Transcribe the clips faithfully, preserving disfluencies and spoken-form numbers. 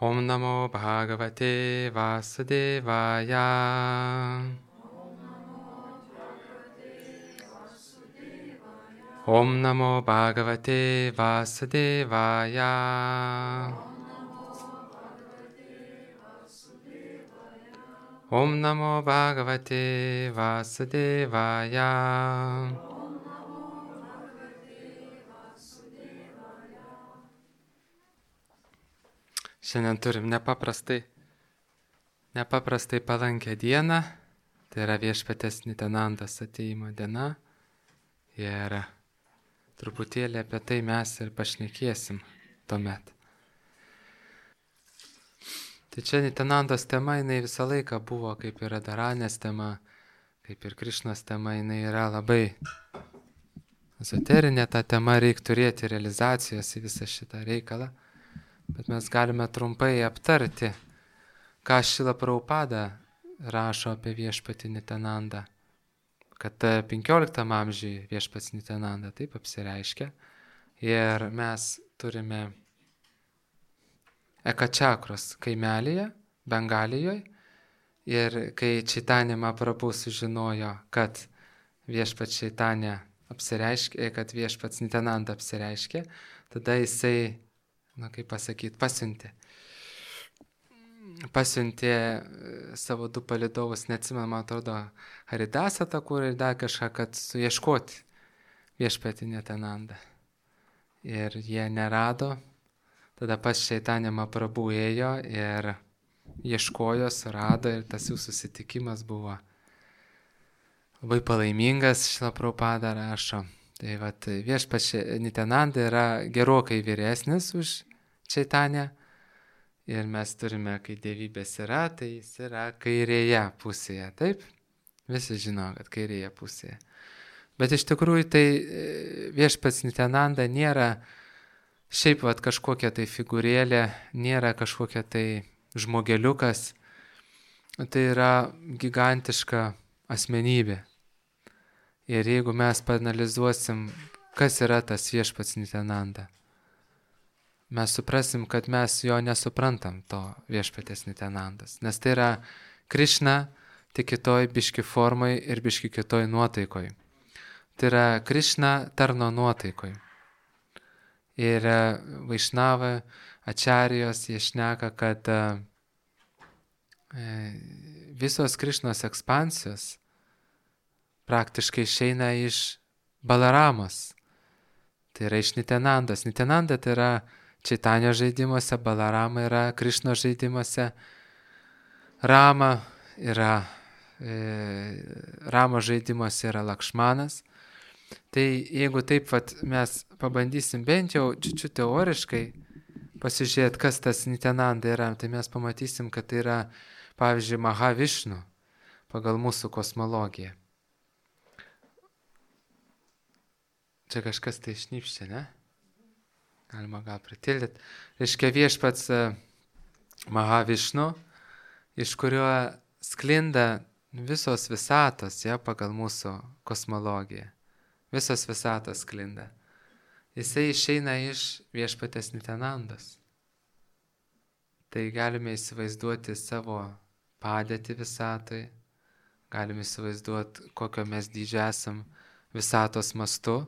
Om Namo Bhagavate Vasudevaya. Om Namo Bhagavate Vasudevaya. Om Namo Bhagavate Vasudevaya. Šiandien turim nepaprastai, nepaprastai palankę dieną, tai yra Viešpaties Nitenandos atėjimo diena ir truputėlį apie tai mes ir pašnekėsim tuomet. Tai čia Nitenandos tema, jinai visą laiką buvo, kaip ir Radharanės tema, kaip ir Krišnos tema, jinai yra labai ezoterinė ta tema, reikia turėti realizacijos į visą šitą reikalą. Bet mes galime trumpai aptarti, ką Šrila Prabhupada rašo apie Viešpatį Nitenandą. Kad penkioliktam amžiuje Viešpats Nitenanda taip apsireiškia ir mes turime Ekačakros kaimelyje, Bengalijoje, ir kai Čaitanija Mahaprabhu sužinojo, kad Viešpats Čaitanija apsireiškė, kad Viešpats Nitenanda apsireiškė, tada jisai, na kaip pasakyti, pasiuntė. Pasiuntė savo du palydovus, neatsimenu, man atrodo, Haridasą Thakurą ir dar kažką, kad suieškoti Viešpatį Nitenandą. Ir jie nerado. Tada pas Čaitanija Mahaprabhu ėjo ir ieškojo, surado ir tas jų susitikimas buvo labai palaimingas, Šrila Prabhupada rašo. Tai vat, Viešpats Nitenanda yra gerokai vyresnis už Čaitaniją ir mes turime, kai dievybės yra, tai jis yra kairėje pusėje, taip? Visi žino, kad kairėje pusėje. Bet iš tikrųjų tai Viešpats Nitenanda nėra šiaip vat, kažkokia tai figūrėlė, nėra kažkokia tai žmogeliukas, tai yra gigantiška asmenybė. Ir jeigu mes paanalizuosim, kas yra tas Viešpats Nitenanda, mes suprasim, kad mes jo nesuprantam, to Viešpatės Nitenandos. Nes tai yra Krišna, tik kitoj biški formai ir biški kitoj nuotaikoj. Tai yra Krišna tarno nuotaikoj. Ir Vaišnava, Ačarijos, jie šneka, kad visos Krišnos ekspansijos praktiškai išeina iš Balaramos. Tai yra iš Nitenandos. Nitenanda tai yra Čaitanijos žaidimuose, Balarama yra Krišnos žaidimuose, Rama yra, e, Ramo žaidimuose yra Lakšmanas. Tai jeigu taip vat, mes pabandysim bent jau čiučiu teoriškai pasižiūrėti, kas tas Nitenanda yra, tai mes pamatysim, kad tai yra, pavyzdžiui, Mahavišnu pagal mūsų kosmologiją. Čia kažkas tai šnypščia, ne? Galima gal pritildyti. Reiškia Viešpats Mahavišnu, iš kurio sklinda visos visatos, ja, pagal mūsų kosmologiją. Visos visatos sklinda. Jisai išeina iš Viešpatės Nitenandos. Tai galime įsivaizduoti savo padėtį visatoj, galime įsivaizduoti, kokio mes dydžio esam visatos mastu.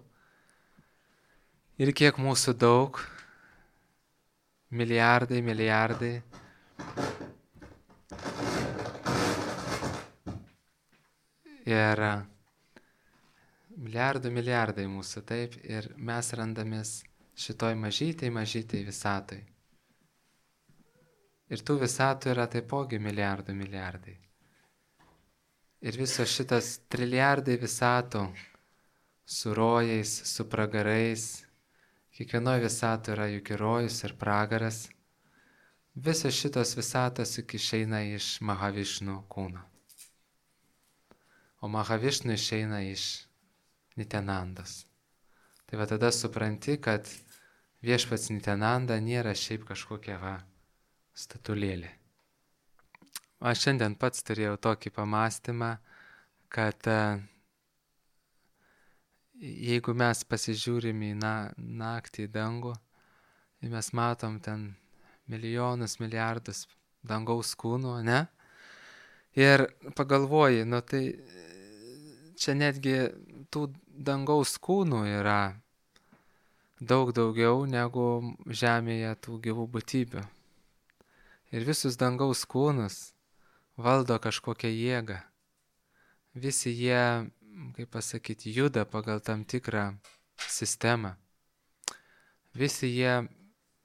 Ir kiek mūsų daug, milijardai, milijardai. Ir milijardų, milijardai mūsų, taip, ir mes randamės šitoj mažytėj, mažytėj visatoj. Ir tų visatų yra taipogi milijardų, milijardai. Ir visos šitas trilijardai visatų su rojais, su pragarais, kiekvienoje visatoje yra juk ir rojus ir pragaras. Visos šitos visatos juk išeina iš Mahavišnu kūno. O Mahavišnu išeina iš Nitenandos. Tai va tada supranti, kad Viešpats Nitenanda nėra šiaip kažkokia va statulėlė. Aš šiandien pats turėjau tokį pamastymą, kad jeigu mes pasižiūrim į na, naktį į dangų, ir mes matom ten milijonus, milijardus dangaus kūnų, ne? Ir pagalvoji, nu tai čia netgi tų dangaus kūnų yra daug daugiau negu žemėje tų gyvų būtybių. Ir visus dangaus kūnus valdo kažkokią jėgą. Visi jie, kaip pasakyti, juda pagal tam tikrą sistemą. Visi jie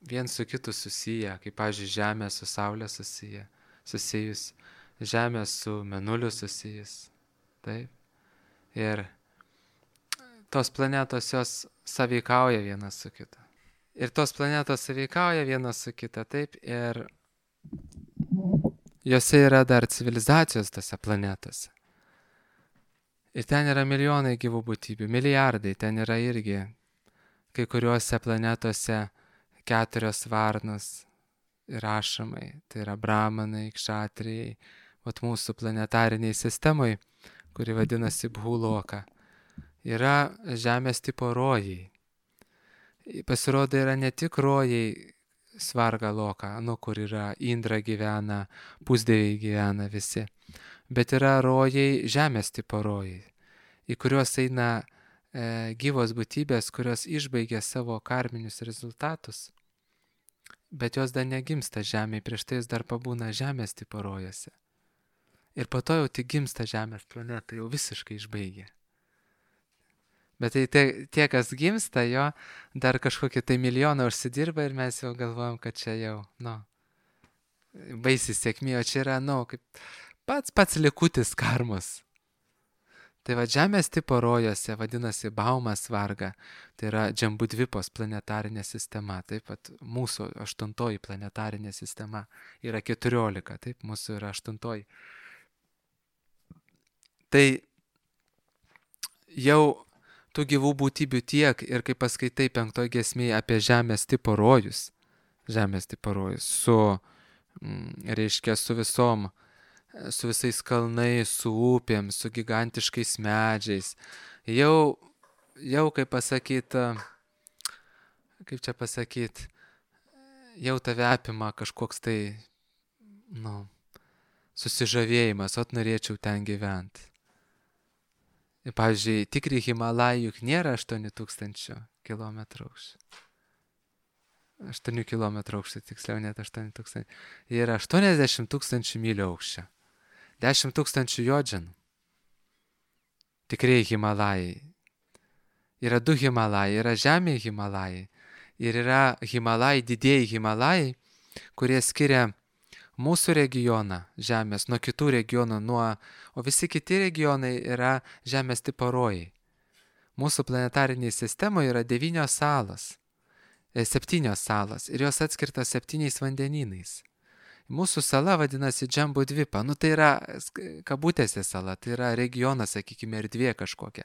vien su kitu susiję, kaip, pavyzdžiui, Žemė su Saulė susiję, susijus, Žemė su Mėnuliu susijus. Taip. Ir tos planetos jos sąveikauja viena su kita. Ir tos planetos sąveikauja viena su kita, taip, ir jose yra dar civilizacijos tose planetose. Ir ten yra milijonai gyvų būtybių, milijardai, ten yra irgi kai kuriuose planetose keturios varnos ir ašamai, tai yra bramanai, kšatrijai, vat mūsų planetariniai sistemai, kuri vadinasi Bhuloka, yra žemės tipo rojai. Pasirodo, yra ne tik rojai Svarga Loka, nu, kur yra Indra gyvena, pusdieviai gyvena visi, bet yra rojai žemės tipo rojai, į kuriuos eina e, gyvos būtybės, kurios išbaigia savo karminius rezultatus, bet jos dar negimsta žemėje, prieš tai jis dar pabūna žemės tipo rojose. Ir po to jau tik gimsta žemės planeta, jau visiškai išbaigia. Bet tai tie, tie, kas gimsta, jo dar kažkokį tai milijoną užsidirba ir mes jau galvojam, kad čia jau, nu, baisi sėkmė, o čia yra, nu, kaip pats pats likutis karmos. Tai va, žemės tipo rojose vadinasi Baumas Varga, tai yra Džambudvipos planetarinė sistema, taip pat mūsų aštuntoji planetarinė sistema yra keturiolika, taip, mūsų yra aštuntoji. Tai jau tų gyvų būtybių tiek ir kai paskaitai penktoj giesmėje apie žemės tipo rojus, žemės tipo rojus, su, reiškia, su visom, su visais kalnais, su upėm, su gigantiškais medžiais, jau, jau kaip pasakyt, kaip čia pasakyt, jau tave apima kažkoks tai, nu, susižavėjimas, ot norėčiau ten gyventi. Pavyzdžiui, tikri Himalajai juk nėra aštuoni tūkstančių kilometrų aukščio. aštuoni kilometrų aukščio, tiksliau net aštuoni tūkstančiai. Jie yra aštuoniasdešimt tūkstančių mylių aukščio. dešimt tūkstančių jodžinų. Tikrieji Himalajai. Yra du Himalajai, yra žemėje Himalajai. Ir yra Himalajai, didieji Himalajai, kurie skiria mūsų regioną žemės nuo kitų regionų, nuo, o visi kiti regionai yra žemės tipo rojai. Mūsų planetariniai sistemoje yra devynios salos, e, septynios salos ir jos atskirtos septyniais vandenynais. Mūsų sala vadinasi Džambudvipa, nu tai yra kabutėse sala, tai yra regionas, sakykime, erdvė kažkokia.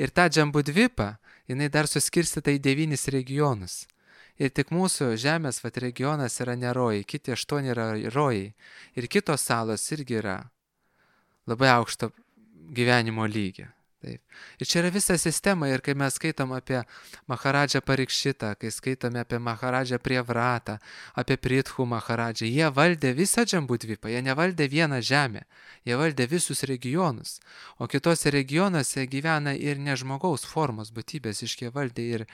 Ir ta Džambudvipa, jinai dar suskirstyta į devynis regionus. Ir tik mūsų žemės vat, regionas yra ne rojai, kiti aštuoni yra rojai. Ir kitos salos irgi yra labai aukšto gyvenimo lygio. Taip. Ir čia yra visa sistema ir kai mes skaitom apie Maharadžą Parikšitą, kai skaitome apie Maharadžą Prievratą, apie Prithu Maharadžą, jie valdė visą Džambudvipą, jie nevaldė vieną žemę, jie valdė visus regionus. O kitose regionuose gyvena ir ne žmogaus formos būtybės, iškie valdė ir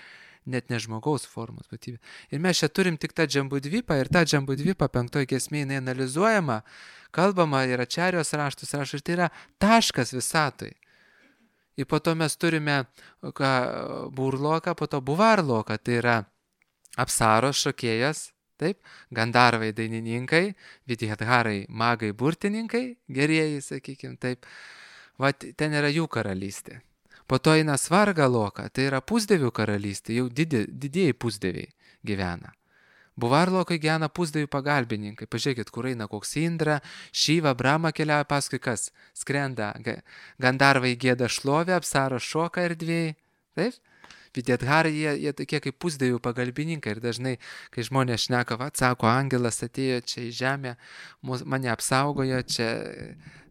net ne žmogaus formos būtybė. Ir mes čia turim tik tą Džambudvipą ir tą Džambudvipą penktoj giesmėje jinai analizuojama, kalbama yra Ačarijos raštus, raštus, ir tai yra taškas visatoj. Ir po to mes turime ką, Burloką, po to Buvarloką, tai yra Apsaros šokėjas, taip, Gandarvai dainininkai, Vidhadharai magai burtininkai, gerieji, sakykime, taip, va ten yra jų karalystė. Po to eina Svarga Loka, tai yra pusdievių karalystė, jau didi, didieji pusdieviai gyvena. Buvarlokai gyvena pusdievių pagalbininkai, pažiūrėkit, kur eina koks Indra, Šiva, Brahma keliauja, paskui kas, skrenda, Gandarvai gėda šlovę, Apsaros šoka erdvėjai, taip? Vidhadharai, jie, jie tokie kaip pusdievių pagalbininkai ir dažnai, kai žmonės šneka, va, sako, angelas atėjo čia į žemę, mane apsaugojo čia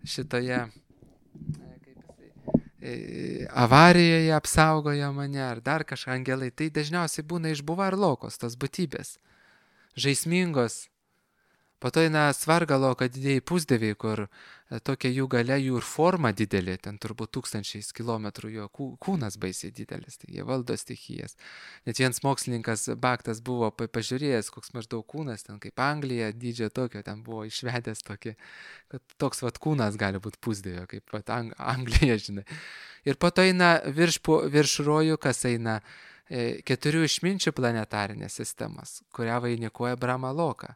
šitoje avarijoje apsaugojo mane, ar dar kažką angelai, tai dažniausiai būna iš Buvarlokos, tas būtybės. žaismingos. Po to eina svargaloka didieji pusdieviai, kur tokia jų galia, jų ir forma didelė, ten turbūt tūkstančiais kilometrų jo kūnas baisiai didelis, tai jie valdo stichijas. Net vienas mokslininkas Baktas buvo pažiūrėjęs, koks maždaug kūnas, ten kaip Anglija, dydžio tokio, ten buvo išvedęs tokį, kad toks vat kūnas gali būti pusdievio, kaip vat Ang Anglija, žinai. Ir po to eina virš, virš rojų, kas eina keturių išminčių planetarinės sistemas, kurią vainikuoja Brahma Loka.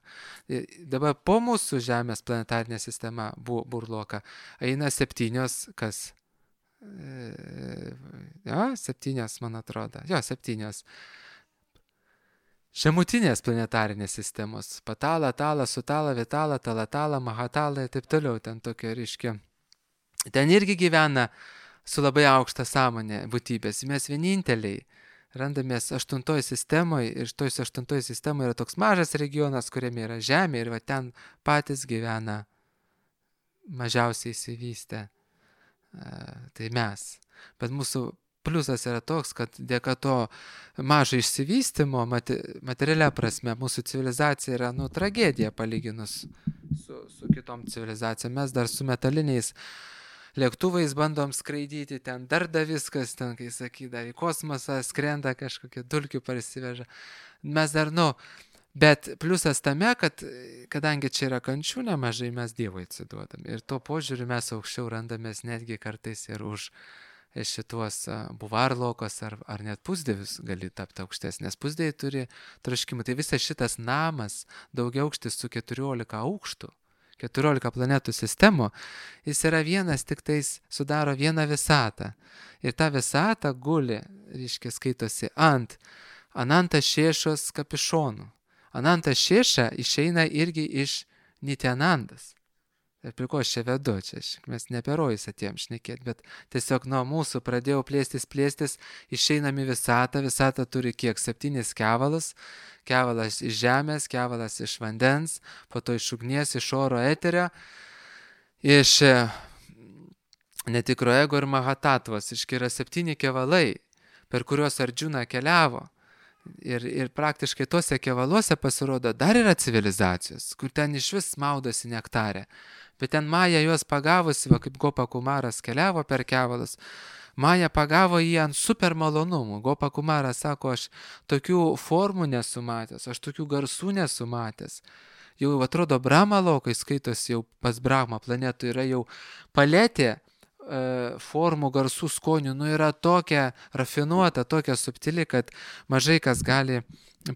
Dabar po mūsų Žemės planetarinė sistema Burloka eina septynios, kas? Jo, septynios, man atrodo. Jo, septynios. Žemutinės planetarinės sistemos. Patala, Tala, Sutala, Vitala, Talatala, Mahatala ir taip toliau. Ten tokia ryškia. Ten irgi gyvena su labai aukšta sąmonė būtybės. Mes vieninteliai randamės aštuntoje sistemoje ir toj aštuntoje sistemoje yra toks mažas regionas, kuriame yra Žemė ir va ten patys gyvena mažiausiai įsivystę. Tai mes. Bet mūsų pliusas yra toks, kad dėka to mažo išsivystymo, materialia prasme, mūsų civilizacija yra nu, tragedija palyginus su, su kitom civilizacijom. Mes dar su metaliniais lėktuvais bandom skraidyti, ten dar da viskas, ten, kai sakyda, į kosmosą skrenda kažkokie dulkių parsiveža. Mes dar, nu, bet pliusas tame, kad kadangi čia yra kančių nemažai, mes Dievui atsiduodam. Ir tuo požiūriu mes aukščiau randamės netgi kartais ir už šituos buvarlokos ar, ar net pusdievius gali tapti aukštesnės. Pusdieviai turi troškimų. Tai visas šitas namas, daugiaaukštis su keturiolika aukštų, keturiolika planetų sistemų, jis yra vienas, tik tais sudaro vieną visatą. Ir ta visata guli, reiškia, skaitosi ant Ananta Šešos kapišonų. Ananta Šeša išeina irgi iš Nityanandas. Ir prie ko aš čia vedu, čia mes ne apie rojus atėjom šnekėti, bet tiesiog nuo mūsų pradėjau plėstis, plėstis, išeinam į visatą, visata turi kiek septynis kevalus, kevalas iš žemės, kevalas iš vandens, po to iš ugnies, iš oro eterio, iš netikro ego ir mahatatvos, iški yra septyni kevalai, per kuriuos Ardžuna keliavo. Ir, ir praktiškai tuose kevaluose pasirodo dar yra civilizacijos, kur ten iš vis maudosi nektarė. Bet ten Maja juos pagavusi, va, kaip Gopa Kumaras keliavo per kevalus, Maja pagavo jį ant super malonumų. Gopa Kumaras sako, aš tokių formų nesu matęs, aš tokių garsų nesu matęs. Jau atrodo Brahma lokai skaitosi jau pas Brahma planetų, yra jau paletė formų, garsų, skonių, nu yra tokia rafinuota, tokia subtili, kad mažai kas gali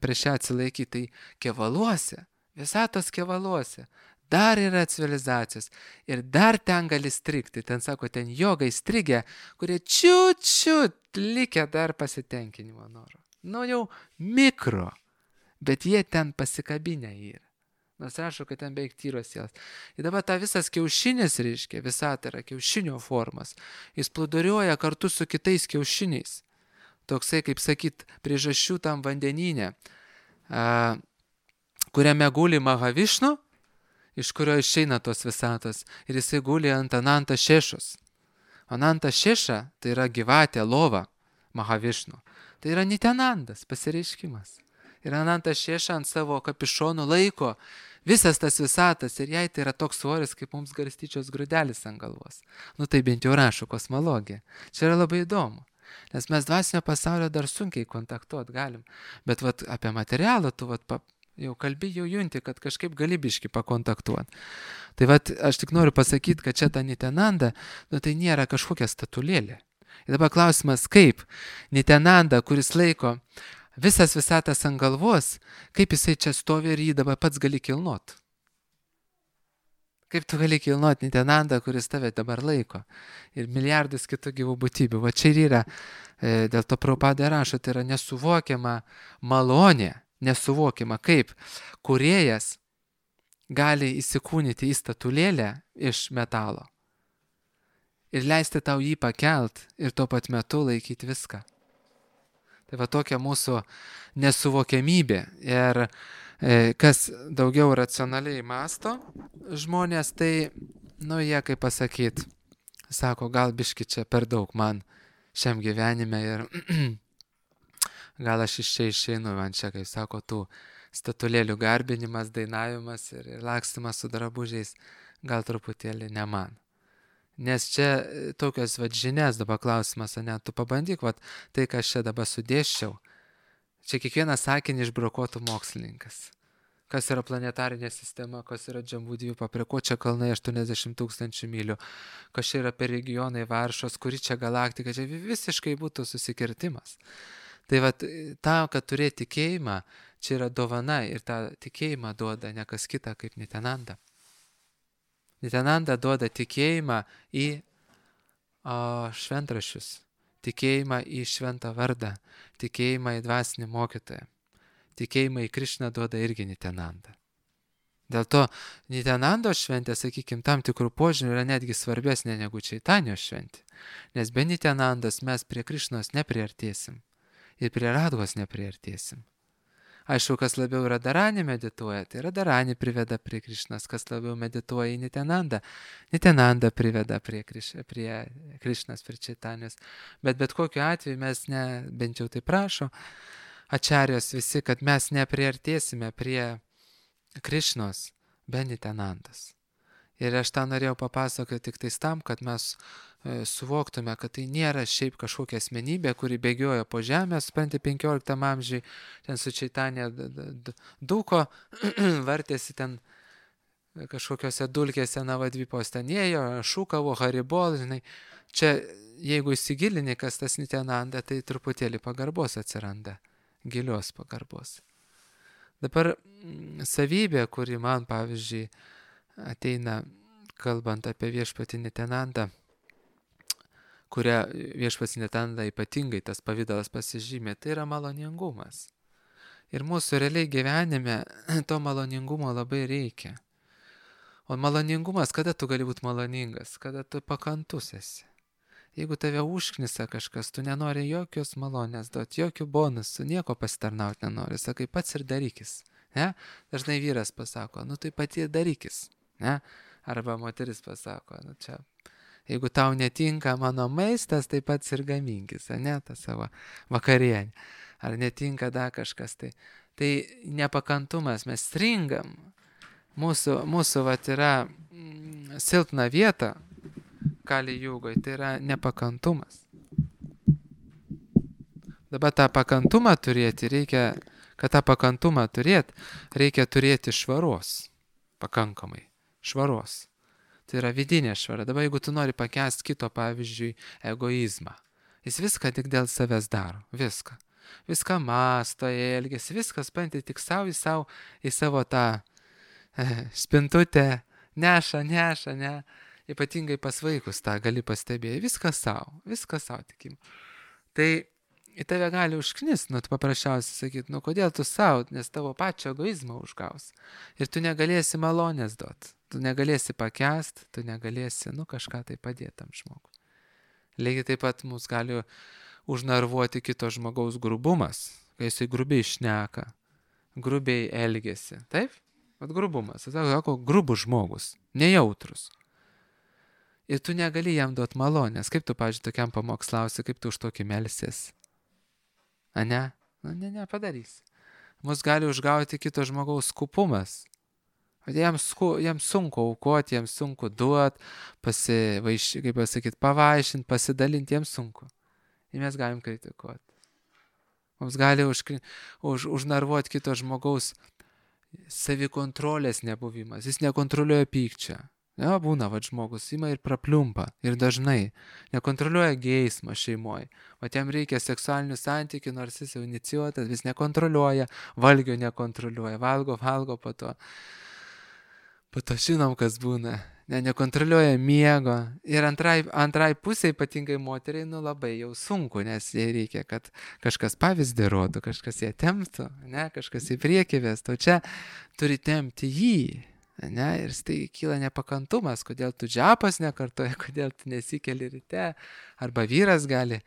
prieš ją atsilaikyti. Tai kevaluose, visatos kevaluose, dar yra civilizacijos ir dar ten gali strigti. Ten sako, ten jogai strigę, kurie čiut-čiut likę dar pasitenkinimo noro. Nu jau mikro, bet jie ten pasikabinę yra. Nors rašo, kad ten beveik tyros sielos. Ir dabar ta visas kiaušinis, reiškia, visata yra kiaušinio formas. Jis plūduriuoja kartu su kitais kiaušiniais. Toksai, kaip sakyt, priežasčių tam vandenyne, a, kuriame guli Mahavišnu, iš kurio išeina tos visatos. Ir jisai guli ant Ananta Šešos. Ananta Šeša tai yra gyvatė, lova Mahavišnu. Tai yra Nityanandas, pasireiškimas. Ir Ananta Šeša ant savo kapišonų laiko visas tas visatas ir jai tai yra toks svoris, kaip mums garstyčios grūdelis ant galvos. Nu tai bent jau rašo kosmologija. Čia yra labai įdomu, nes mes dvasinio pasaulio dar sunkiai kontaktuoti galim. Bet vat, apie materialą tu vat, pa, jau kalbi, jau junti, kad kažkaip galibiški pakontaktuoti. Tai vat, aš tik noriu pasakyti, kad čia ta Nityananda, nu tai nėra kažkokia statulėlė. Ir dabar klausimas, kaip Nityananda, kuris laiko visas visatas ant galvos, kaip jisai čia stovi ir jį dabar pats gali kilnot. Kaip tu gali kilnot Nityanandą, kuris tave dabar laiko. Ir milijardus kitų gyvų būtybių. Va čia ir yra, e, dėl to Prabhupada rašo, tai yra nesuvokiama malonė, nesuvokiama, kaip kūrėjas gali įsikūnyti į statulėlę iš metalo ir leisti tau jį pakelt ir tuo pat metu laikyti viską. Tai va tokia mūsų nesuvokiamybė. Ir e, kas daugiau racionaliai masto žmonės, tai, nu, jie, kaip pasakyt, sako, gal biški čia per daug man šiam gyvenime ir gal aš iš čia išeinu, man čia, kaip sako, tų statulėlių garbinimas, dainavimas ir, ir lakstimas su drabužiais gal truputėlį ne man. Nes čia tokios vat žinias dabar klausimas, ne, tu pabandyk, vat tai, ką aš čia dabar sudėščiau, čia kiekvieną sakinį išbrokuotų mokslininkas. Kas yra planetarinė sistema, kas yra Džambudvipa, prie ko čia kalnai aštuoniasdešimt tūkstančių mylių, kas čia yra per regionai Varšos, kuri čia galaktika, čia visiškai būtų susikirtimas. Tai vat tam, kad turėti tikėjimą, čia yra dovana ir tą tikėjimą duoda ne kas kita kaip Nityananda. Nityananda duoda tikėjimą į o, šventraščius, tikėjimą į šventą vardą, tikėjimą į dvasinį mokytoją. Tikėjimą į Krišną duoda irgi Nityananda. Dėl to Nityanando šventė, sakykime, tam tikrų požiūrių yra netgi svarbesnė negu Čaitanijos šventė. Nes be Nityanandos mes prie Krišnos nepriartėsim ir prie Radhos nepriartėsim. Aišku, kas labiau Radharani medituoja, tai Radharani priveda prie Krišnos, kas labiau medituoja į Nityanandą, Nityananda priveda prie, kriš, prie Krišnos, prie Čaitanijos. Bet bet kokiu atveju mes ne, bent jau tai prašo, Ačarijos visi, kad mes nepriartėsime prie Krišnos be Nityanandos. Ir aš tą norėjau papasakoti tik tais tam, kad mes e, suvoktume, kad tai nėra šiaip kažkokia asmenybė, kuri bėgioja po žemę, supranti, penkioliktam amžiui, ten su Čaitanija dūko, vartėsi ten kažkokiose dulkėse Navadvipos ten ėjo, šūkavo, haribol, žinai. Čia, jeigu įsigilini, kas tas Nityananda, tai truputėlį pagarbos atsiranda. Gilios pagarbos. Dabar savybė, kuri man, pavyzdžiui, ateina, kalbant apie viešpatį Nityanandą, kurią viešpats Nityananda ypatingai tas pavidalas pasižymė, tai yra maloningumas. Ir mūsų realiai gyvenime to maloningumo labai reikia. O maloningumas, kada tu gali būti maloningas? Kada tu pakantus esi. Jeigu tave užknisa kažkas, tu nenori jokios malonės duoti, jokių bonusų, nieko pasitarnauti nenori, sakai, pats ir darykis. Ne? Dažnai vyras pasako, nu tai pati ir darykis. Ne? Arba moteris pasako, nu čia, jeigu tau netinka mano maistas, tai pats ir gaminkis, ne, tą savo vakarienę. Ar netinka dar kažkas, tai, tai nepakantumas, mes stringam. Mūsų, mūsų vat yra mm, silpna vieta, Kali Jugoj, tai yra nepakantumas. Dabar tą pakantumą turėti reikia, kad tą pakantumą turėti, reikia turėti švaros, pakankamai, švaros. Tai yra vidinė švara. Dabar jeigu tu nori pakęsti kito, pavyzdžiui, egoizmą, jis viską tik dėl savęs daro, viską. Viską masto, elgesi, viskas panti tik savo į, savo, į savo tą e, spintutę, neša, neša, ne. Ypatingai pas vaikus tą gali pastebėti, viskas savo, viskas savo tikim. Tai į tave gali užknist, nu, tu paprasčiausiai sakyti, nu, kodėl tu savo, nes tavo pačio egoizmą užgaus. Ir tu negalėsi malonės duoti, tu negalėsi pakęsti, tu negalėsi, nu, kažką tai padėti tam žmogui. Lygiai taip pat mus gali užnervuoti kito žmogaus grubumas, kai jisai grubiai šneka, grubiai elgesi, taip? Vat grubumas, tai sako, grubus žmogus, nejautrus. Ir tu negali jam duoti malonės. Kaip tu, pavyzdžiui, tokiam pamokslausi, kaip tu už tokį melsies? A ne? Na, ne, ne, padarysi. Mus gali užgauti kito žmogaus skupumas. Jam, sku, jam sunku aukoti, jam sunku duoti, pasivaiš, kaip pasakyti, pavaišinti, pasidalinti, jam sunku. Ir mes galim kritikuoti. Mums gali už, už, užnervuoti kito žmogaus savikontrolės nebuvimas. Jis nekontroliuoja pykčio. Ja, būna, va, žmogus ima ir prapliumpa. Ir dažnai nekontroliuoja geismą šeimoje. O jam reikia seksualinių santykių, nors jis jau inicijuotas, vis nekontroliuoja, valgio nekontroliuoja, valgo, valgo po to. Po to žinom, kas būna. Ne, nekontroliuoja miego. Ir antrai, antrai pusė, ypatingai moteriai, nu labai jau sunku, nes jai reikia, kad kažkas pavyzdį rodo, kažkas ją temptų, ne, kažkas į priekį vestų. O čia turi tempti jį. Ne, ir tai kyla nepakantumas, kodėl tu džapas nekartoji, kodėl tu nesikeli ryte, arba vyras gali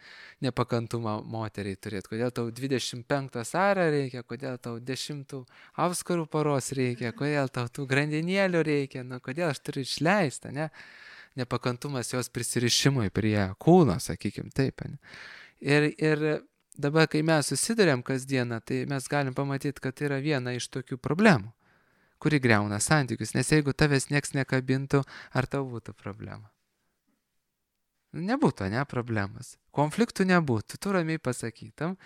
nepakantumą moteriai turėti, kodėl tau dvidešimt penktą sarą reikia, kodėl tau dešimtų auskarų poros reikia, kodėl tau tų grandinėlių reikia, nu, kodėl aš turiu išleistą, ne? Nepakantumas jos prisirišimui prie kūno, sakykim, taip. Ne? Ir, ir dabar, kai mes susidurėm kasdieną, tai mes galim pamatyti, kad tai yra viena iš tokių problemų, kuri greuna santykius, nes jeigu tavęs nieks nekabintų, ar tau būtų problema? Nebūtų, ne, problemas. Konfliktų nebūtų, tu ramiai pasakytum,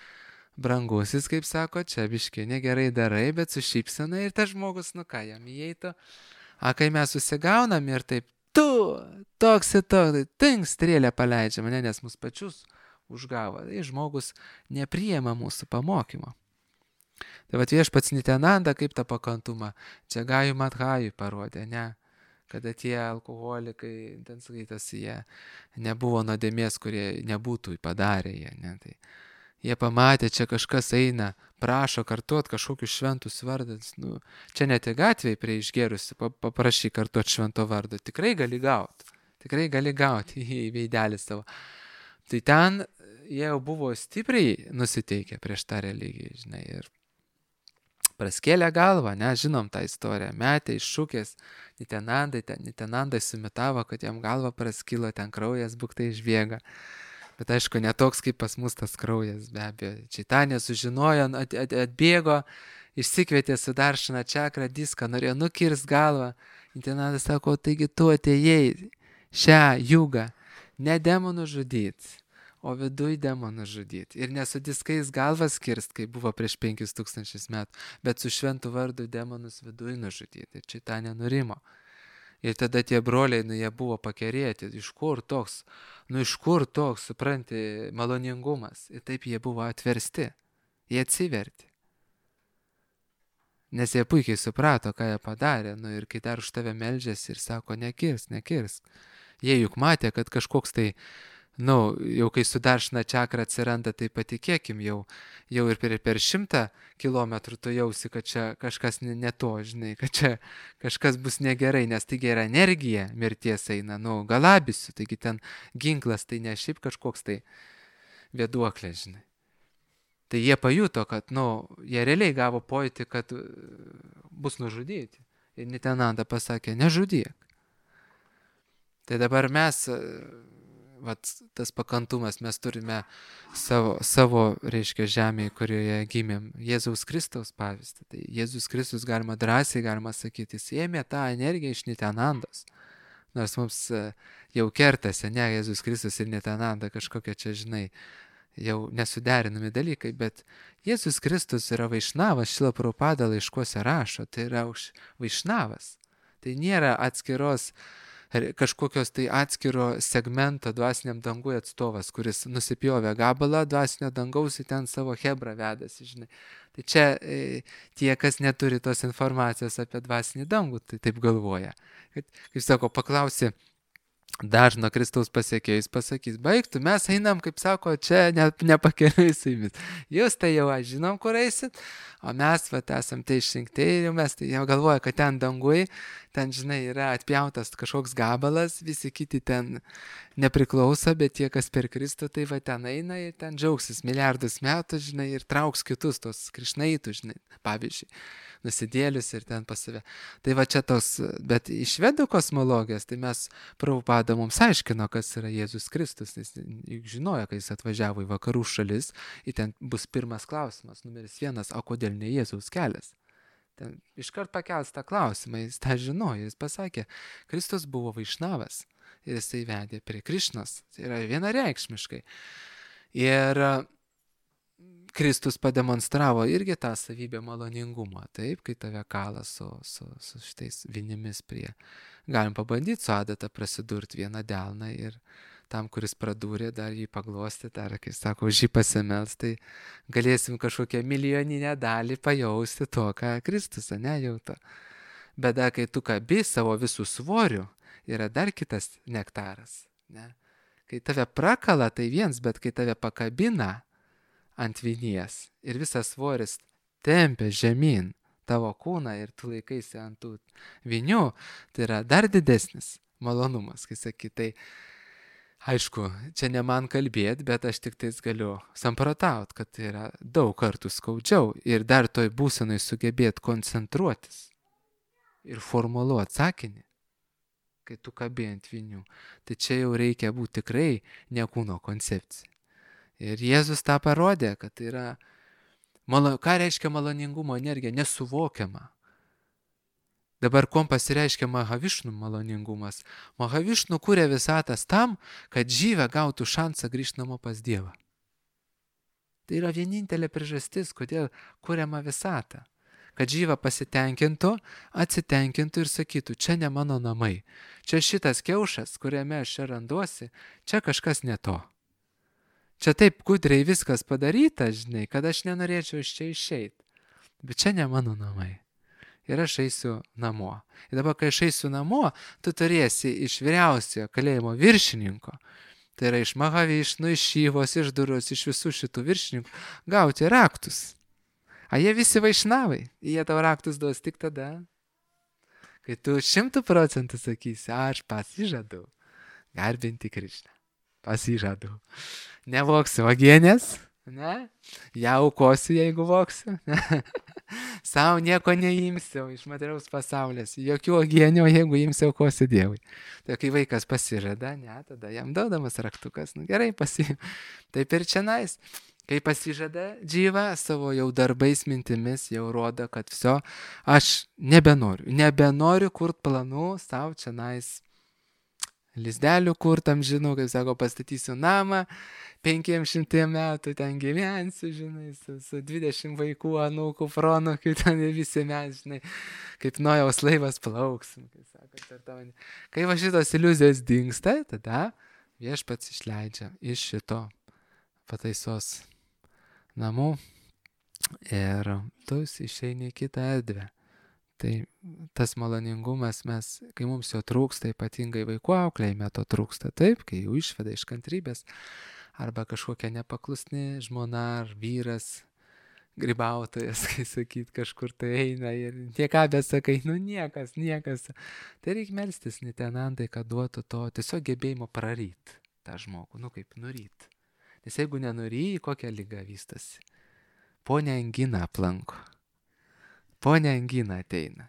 brangusis, kaip sako, čia biški negerai darai, bet su šypsena ir tas žmogus, nu ką, jam įeitų. A kai mes susigaunam ir taip, tu, toks ir toks, tai tink strėlę paleidžia mane, nes mus pačius užgavo. Tai žmogus nepriema mūsų pamokymo. Tai vat viešpats Nityananda kaip tą pakantumą čia Gaju Madhajui parodė, ne? Kada tie alkoholikai, ten skaitasi, jie nebuvo nuodėmės, kurie nebūtų padarę jie, ne? Tai jie pamatė, čia kažkas eina, prašo kartuot kažkokius šventus vardus. Nu, čia net į gatvėje prie išgėrusi, paprašy kartuot švento vardo. Tikrai gali gauti. Tikrai gali gauti į veidelį savo. Tai ten jie jau buvo stipriai nusiteikę prieš tą religiją, žinai. Ir praskėlė galvą, ne, žinom tą istoriją. Metė iš šukės Nityanandai, ten Nityanandai sumitavo, kad jam galva praskilo, ten kraujas buktai išbėga. Bet aišku, netoks kaip pas mus tas kraujas, be abejo. Čaitanė sužinojo, at, at, atbėgo, išsikvietė Sudaršana čakrą diską, norėjo nukirst galvą. Nityanandas sako, taigi tu atėjai šią jugą ne demonų žudyti, o viduj demonų žudyti. Ir ne su diskais galvas kirst, kaip buvo prieš penkis tūkstančius metų, bet su šventu vardu demonus viduj nužudyti. Ir Čaitanė nurimo. Ir tada tie broliai, nu, jie buvo pakerėti, iš kur toks, nu, iš kur toks, supranti, maloningumas. Ir taip jie buvo atversti, jie atsiverti. Nes jie puikiai suprato, ką jie padarė, nu, ir kai dar už tave meldžiasi ir sako, nekirsk, nekirsk. Jie juk matė, kad kažkoks tai, nu, jau kai Sudaršana čakra atsiranda, tai patikėkim, jau, jau ir per, per šimtą kilometrų tu jausi, kad čia kažkas ne, ne to, žinai, kad čia kažkas bus negerai, nes taigi yra energija mirties eina, nu, galabysiu, taigi ten ginklas, tai ne šiaip kažkoks tai vėduoklė, žinai. Tai jie pajuto, kad, nu, jie realiai gavo pojūtį, kad bus nužudyti. Ir Nityananda pasakė, nežudyk. Tai dabar mes, vat, tas pakantumas, mes turime savo, savo reiškia, žemėje, kurioje gimėm, Jėzaus Kristaus pavyzdį. Tai Jėzus Kristus, galima drąsiai, galima sakyti, jis ėmė tą energiją iš Nityanandos. Nors mums jau kertasi, ne, Jėzus Kristus ir Nityananda kažkokia čia, žinai, jau nesuderinami dalykai, bet Jėzus Kristus yra vaišnavas, Šrila Prabhupada laiškuose rašo, tai yra vaišnavas. Tai nėra atskiros kažkokios tai atskiro segmento dvasiniam dangui atstovas, kuris nusipjovė gabalą dvasinio dangaus ir ten savo hebrą vedasi, žinai. Tai čia e, tie, kas neturi tos informacijos apie dvasinį dangų, tai taip galvoja. Kad, kaip sako, paklausi dažno Kristaus pasiekėjus, pasakys, baigtų, mes einam, kaip sako, čia ne, nepakeliui su jumis. Jūs tai jau aš žinom, kur eisit, o mes, vat, esam tai išrinkti ir mes tai jau galvoja, kad ten dangui, ten, žinai, yra atpjautas kažkoks gabalas, visi kiti ten nepriklauso, bet tie, kas per Kristų, tai va ten eina ir ten džiaugsis milijardus metų, žinai, ir trauks kitus tos krišnaitų, žinai, pavyzdžiui, nusidėlius ir ten pas save. Tai va čia tos, bet iš švedų kosmologijos, tai mes Prabhupada mums aiškino, kas yra Jėzus Kristus, nes juk žinojo, kai jis atvažiavo į vakarų šalis, ir ten bus pirmas klausimas, numeris vienas, o kodėl ne Jėzaus kelias? Ten iškart pakels tą klausimą, jis tą žinojo, jis pasakė, Kristus buvo vaišnavas ir jisai vedė prie Krišnos, tai yra vienareikšmiškai. Ir Kristus pademonstravo irgi tą savybę maloningumą, taip, kai tave kala su, su, su šitais vinimis prie. Galim pabandyti su adata prasidurti vieną delną ir tam, kuris pradūrė, dar jį paglosti, dar, kai sako, už jį pasimels, tai galėsim kažkokią milijoninę dalį pajausti to, ką Kristus, ne, jauto. Bet da, kai tu kabi savo visų svorių, yra dar kitas nektaras, ne. Kai tave prakala, tai viens, bet kai tave pakabina ant vinies ir visas svoris tempia žemyn tavo kūną ir tu laikaisi ant tų vinių, tai yra dar didesnis malonumas, kai sakai, tai aišku, čia ne man kalbėti, bet aš tik tais galiu samprotaut, kad tai yra daug kartų skaudžiau ir dar toj būsenai sugebėti koncentruotis ir formuluoti sakinį, kai tu kabi ant vinių. Tai čia jau reikia būti tikrai ne kūno koncepcija. Ir Jėzus tą parodė, kad tai yra, malo, ką reiškia maloningumo energija, nesuvokiama. Dabar kuom pasireiškia Mahavišnų maloningumas? Mahavišnų kūrė visatas tam, kad žyvė gautų šansą grįžti namo pas Dievą. Tai yra vienintelė priežastis, kodėl kūriama visata. Kad žyva pasitenkintų, atsitenkintų ir sakytų, čia ne mano namai. Čia šitas kiaušas, kuriame aš čia randuosi, čia kažkas ne to. Čia taip gudriai viskas padaryta, žinai, kad aš nenorėčiau iš čia išeiti. Bet čia ne mano namai. Ir aš eisiu namo. Ir dabar, kai aš eisiu namo, tu turėsi iš vyriausiojo kalėjimo viršininko, tai yra iš Mahavišnų, iš Šyvos, iš Duros, iš visų šitų viršininkų, gauti raktus. A jie visi vaišnavai, jie tau raktus duos tik tada, kai tu šimtų procentų sakysi, aš pasižadu garbinti Krišną. Pasižadu. Nevoksiu vagienės, ne? Ją aukosiu, jeigu voksiu. Sau nieko neimsiu iš materiaus pasaulės. Jokių uogienių, jeigu imsiu, aukosiu Dievui. Tai kai vaikas pasižada, ne, tada jam duodamas raktukas. Nu gerai, pasiim. Taip ir čionais. Kai pasižada džyva savo jau darbais, mintimis, jau rodo, kad viso, aš nebenoriu. Nebenoriu kurt planų savo čionais. Lizdelių kurtam, žinau, kaip sako, pastatysiu namą, penkiems šimtiem metų ten gyvensiu, žinai, su, su dvidešimt vaikų, anūkų, proanūkių, ten visi mes, žinai, kaip Nojaus laivas plauksim, kaip sako. Kai va šitos iliuzijos dingsta, tada Viešpats išleidžia iš šito pataisos namų ir tu išeini į kitą erdvę. Tai tas maloningumas, mes, kai mums jo trūksta, ypatingai vaikų auklėjime to trūksta, taip, kai jau išveda iš kantrybės, arba kažkokia nepaklusni žmona ar vyras, grybautojas, kai sakyt, kažkur tai eina ir nieką besakai, nu niekas, niekas. Tai reikia melstis Nitenandai, kad duotų to tiesiog gebėjimo praryt tą žmogų, nu kaip nuryt. Nes jeigu nenuryji, kokia liga vystasi? Ponia angina aplanko. Ponia angina ateina.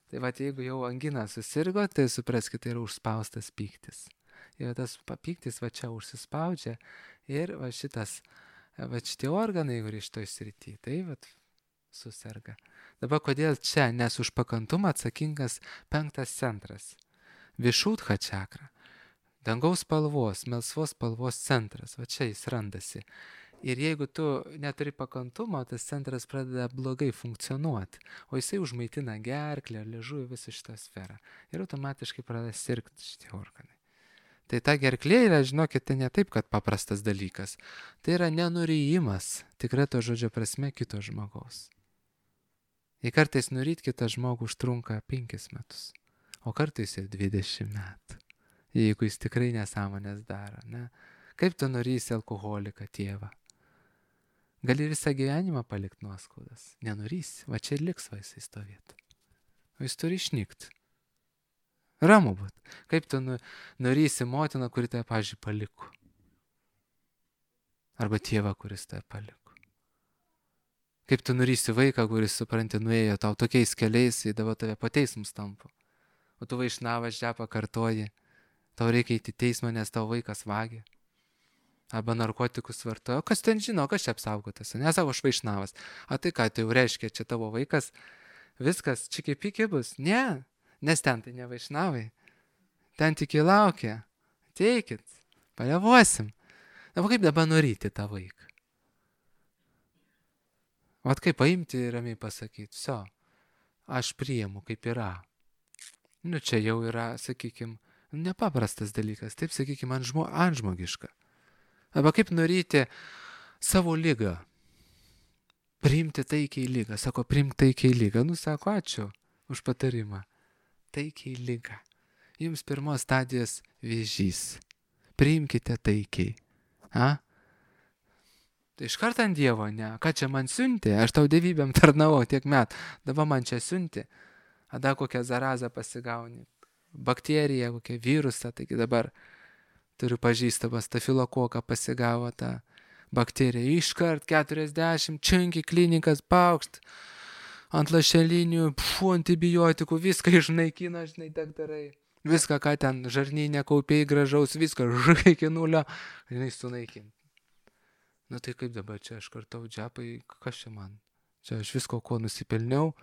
Tai va, jeigu jau angina susirgo, tai supraskite, tai yra užspaustas pyktis. Ir tas pyktis va čia užsispaudžia ir va šitas, va šitie organai, kur iš to srity, tai va susirga. Dabar kodėl čia? Nes už pakantumą atsakingas penktas centras. Višūdha čakra. Dangaus spalvos, melsvos spalvos centras. Va čia jis randasi. Ir jeigu tu neturi pakantumo, tas centras pradeda blogai funkcionuoti, o jisai užmaitina gerklę, liežuvį, visą šitą sferą. Ir automatiškai pradeda sirgti šitie organai. Tai ta gerklė yra, žinokite, ne taip, kad paprastas dalykas. Tai yra nenuryjimas, tikrai to žodžio prasme, kito žmogaus. Ir kartais nuryt kitą žmogų užtrunka penkis metus, o kartais ir dvidešimt metų, jeigu jis tikrai nesąmonės daro. Ne? Kaip tu nurysi alkoholiką, tėvą? Gali visą gyvenimą palikti nuoskaudas. Nenurysi, va čia ir liks va jisai stovėti. O jis turi išnykti. Ramu būt. Kaip tu nu, nurysi motiną, kuri tave, pavyzdžiui, paliko? Arba tėvą, kuris tave paliko? Kaip tu nurysi vaiką, kuris, supranti, nuėjo tau tokiais keliais, įdavo tave po teismus tampo. O tu vaišnavas žepą kartoji. Tau reikia įti teismą, nes tavo vaikas vagė. Arba narkotikus vartoja. O kas ten žino, kas čia apsaugotas? Nesako, aš vaišnavas. A tai ką, tai jau reiškia, čia tavo vaikas, viskas, čiki piki bus? Ne, nes ten tai ne vaišnavai. Ten tik įlaukia. Teikit, palevosim. Na, kaip dabar nuryti tą vaiką? Vat kaip paimti ir ramiai pasakyti, viso, aš priimu, kaip yra. Nu, čia jau yra, sakykime, nepaprastas dalykas, taip, sakykime, antžmo, antžmogiška. Arba kaip nuryti savo ligą. Priimti taikiai ligą. Sako, priimti taikiai ligą. Nu, sako, ačiū už patarimą. Taikiai ligą. Jums pirmos stadijos vėžys. Priimkite taikiai. A? Tai iš karto ant Dievo, ne? Ką čia man siuntė? Aš tau dievybėm tarnavau tiek metų. Dabar man čia siuntė. Ada kokią zarazą pasigauni. Bakteriją, kokią virusą. Taigi dabar turiu pažįstamą stafilokoką pasigavo tą bakteriją. Iškart keturiasdešimt, činki klinikas, paukšt, ant lašelinių, pfu, antibiotikų, viską išnaikina, žinai, daktarai. Viską, ką ten žarnyne kaupiai gražaus, viską žai iki nulio, žinai, sunaikinti. Nu tai kaip dabar čia aš kartau džepai, kas čia man? Čia aš visko, ko nusipelniau,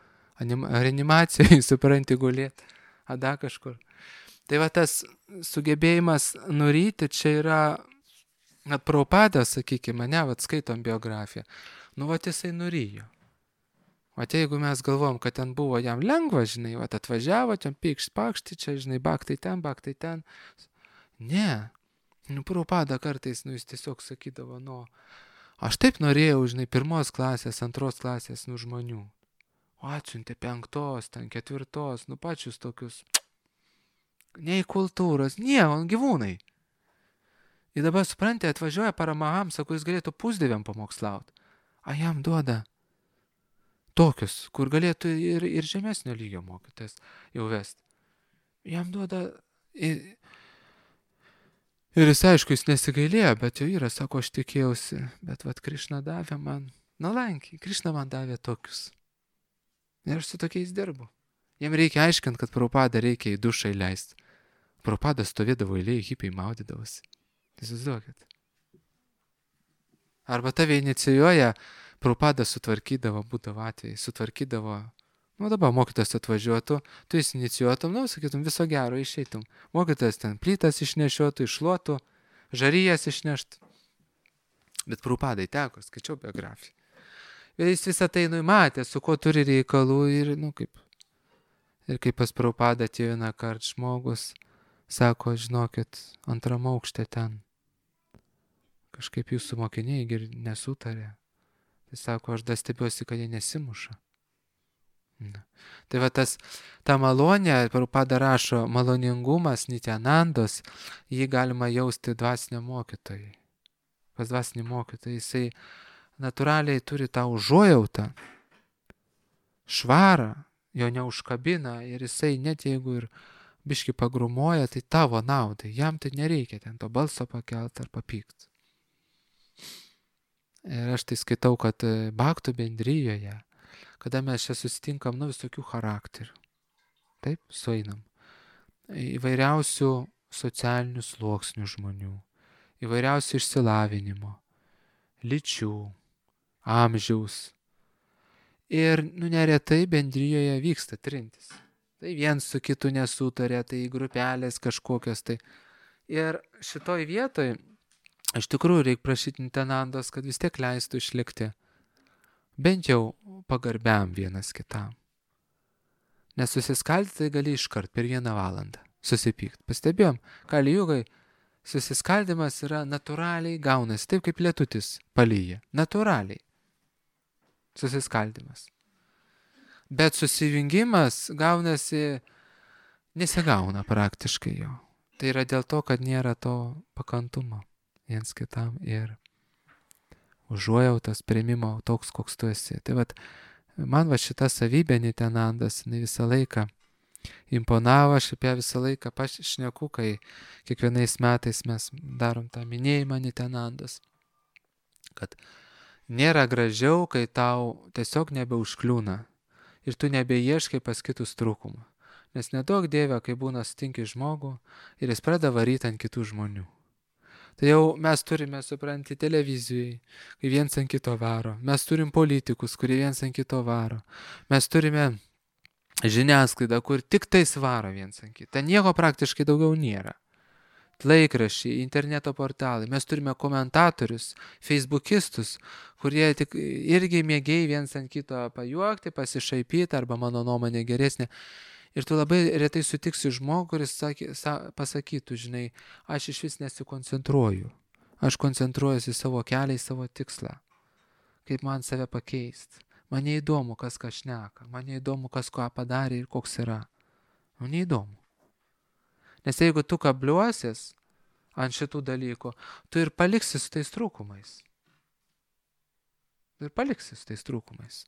anim, reanimacijai, supranti, gulėti, a da kažkur. Tai va tas sugebėjimas nuryti, čia yra, net Prabhupadas, sakykime, ne, va skaitom biografiją, nu va jisai nuryjo. O jeigu mes galvom, kad ten buvo jam lengva, žinai, va atvažiavo, ten pykšt, pakšti, čia, žinai, baktai ten, baktai ten. Ne, nu Prabhupada kartais, nu jis tiesiog sakydavo, nu, aš taip norėjau, žinai, pirmos klasės, antros klasės, nu žmonių. O atsiuntė penktos, ten ketvirtos, nu pačius tokius, nei kultūros, nie, on gyvūnai. Ir dabar suprantate, atvažiuoja Paramahamsa, kuris galėtų pusdieviam pamokslauti. A jam duoda tokius, kur galėtų ir, ir žemesnio lygio mokytojas jau vesti. Jam duoda... Ir, ir jis, aišku, jis nesigailėjo, bet jau yra, sako, aš tikėjausi, bet vat Krišna davė man, nuolankiai, Krišna man davė tokius. Ir aš su tokiais dirbu. Jiem reikia aiškinti, kad Prabhupadą reikia į dušą įleisti. Prabhupada stovėdavo eilėje, hipiai maudydavosi. Įsivaizduokit. Arba tave inicijuoja, Prabhupada sutvarkydavo, būdavo atvejai, sutvarkydavo, nu dabar mokytas atvažiuotų, tu jis inicijuotum, nu, sakytum, viso gero išeitum. Mokytas ten plytas išnešiotų, iššluotų, žaryjas išneštų. Bet Prabhupadai teko, skaičiau biografiją. Ir jis visą tai numatė, su kuo turi reikalų ir, nu, kaip. Ir kaip pas Prabhupadą atėjo vieną kartą žmogus, sako, žinokit, antram aukšte ten. Kažkaip jūsų mokiniai ir nesutarė. Tai sako, aš dar stebiuosi, kad jie nesimuša. Na. Tai va tas, ta malonė, Prabhupada rašo, maloningumas, Nityanandos, jį galima jausti dvasiniam mokytojai. Pas dvasinį mokytoją, jisai natūraliai turi tą užuojautą, švarą, jo neužkabina ir jisai net jeigu ir biški pagrumuoja, tai tavo naudai, jam tai nereikia ten to balso pakelt ar papykti. Ir aš tai skaitau, kad Bhaktų bendrijoje, kada mes čia susitinkam, nu visokių charakterių, taip, sueinam, įvairiausių socialinių sluoksnių žmonių, įvairiausių išsilavinimo, lyčių, amžiaus. Ir, nu, neretai bendrijoje vyksta trintis. Tai viens su kitu nesutarė, tai grupelės kažkokios. Tai. Ir šitoj vietoj, iš tikrųjų, reikia prašyti Nityanandos, kad vis tiek leistų išlikti bent jau pagarbiam vienas kitam. Nes susiskaldyti tai gali iškart per vieną valandą susipykti. Pastebėjom, Kali Jugai susiskaldimas yra natūraliai gaunasi, taip kaip lietutis palyja. Natūraliai. Susiskaldimas. Bet susijungimas gaunasi, nesigauna praktiškai jo. Tai yra dėl to, kad nėra to pakantumo viens kitam ir užuojautos priėmimo toks, koks tu esi. Tai vat, man va šita savybė Nityanandas, jinai visą laiką imponavo, aš apie visą laiką pašneku, kai kiekvienais metais mes darom tą minėjimą Nityanandos, kad nėra gražiau, kai tau tiesiog nebeužkliūna ir tu nebeieškai pas kitus trūkumą. Nes nedaug Dieve, kai būna sutinki žmogų ir jis pradeda varyti ant kitų žmonių. Tai jau mes turime, supranti, televizijai, kai viens ant kito varo. Mes turim politikus, kurie viens ant kito varo. Mes turime žiniasklaidą, kur tik tai svaro viens ant kitą. Ten nieko praktiškai daugiau nėra. Laikraščiai, interneto portalai. Mes turime komentatorius, feisbukistus, kurie tik irgi mėgiai viens ant kito pajuokti, pasišaipyti arba mano nuomonė geresnė. Ir tu labai retai sutiksi žmogų, kuris sakė, sa, pasakytų, žinai, aš iš vis nesikoncentruoju. Aš koncentruojuosi į savo kelią, į savo tikslą. Kaip man save pakeisti. Man neįdomu, kas ką šneka. Man neįdomu, kas ką padarė ir koks yra. Man neįdomu. Nes jeigu tu kabliuosis ant šitų dalykų, tu ir paliksi su tais trūkumais. Ir paliksi su tais trūkumais.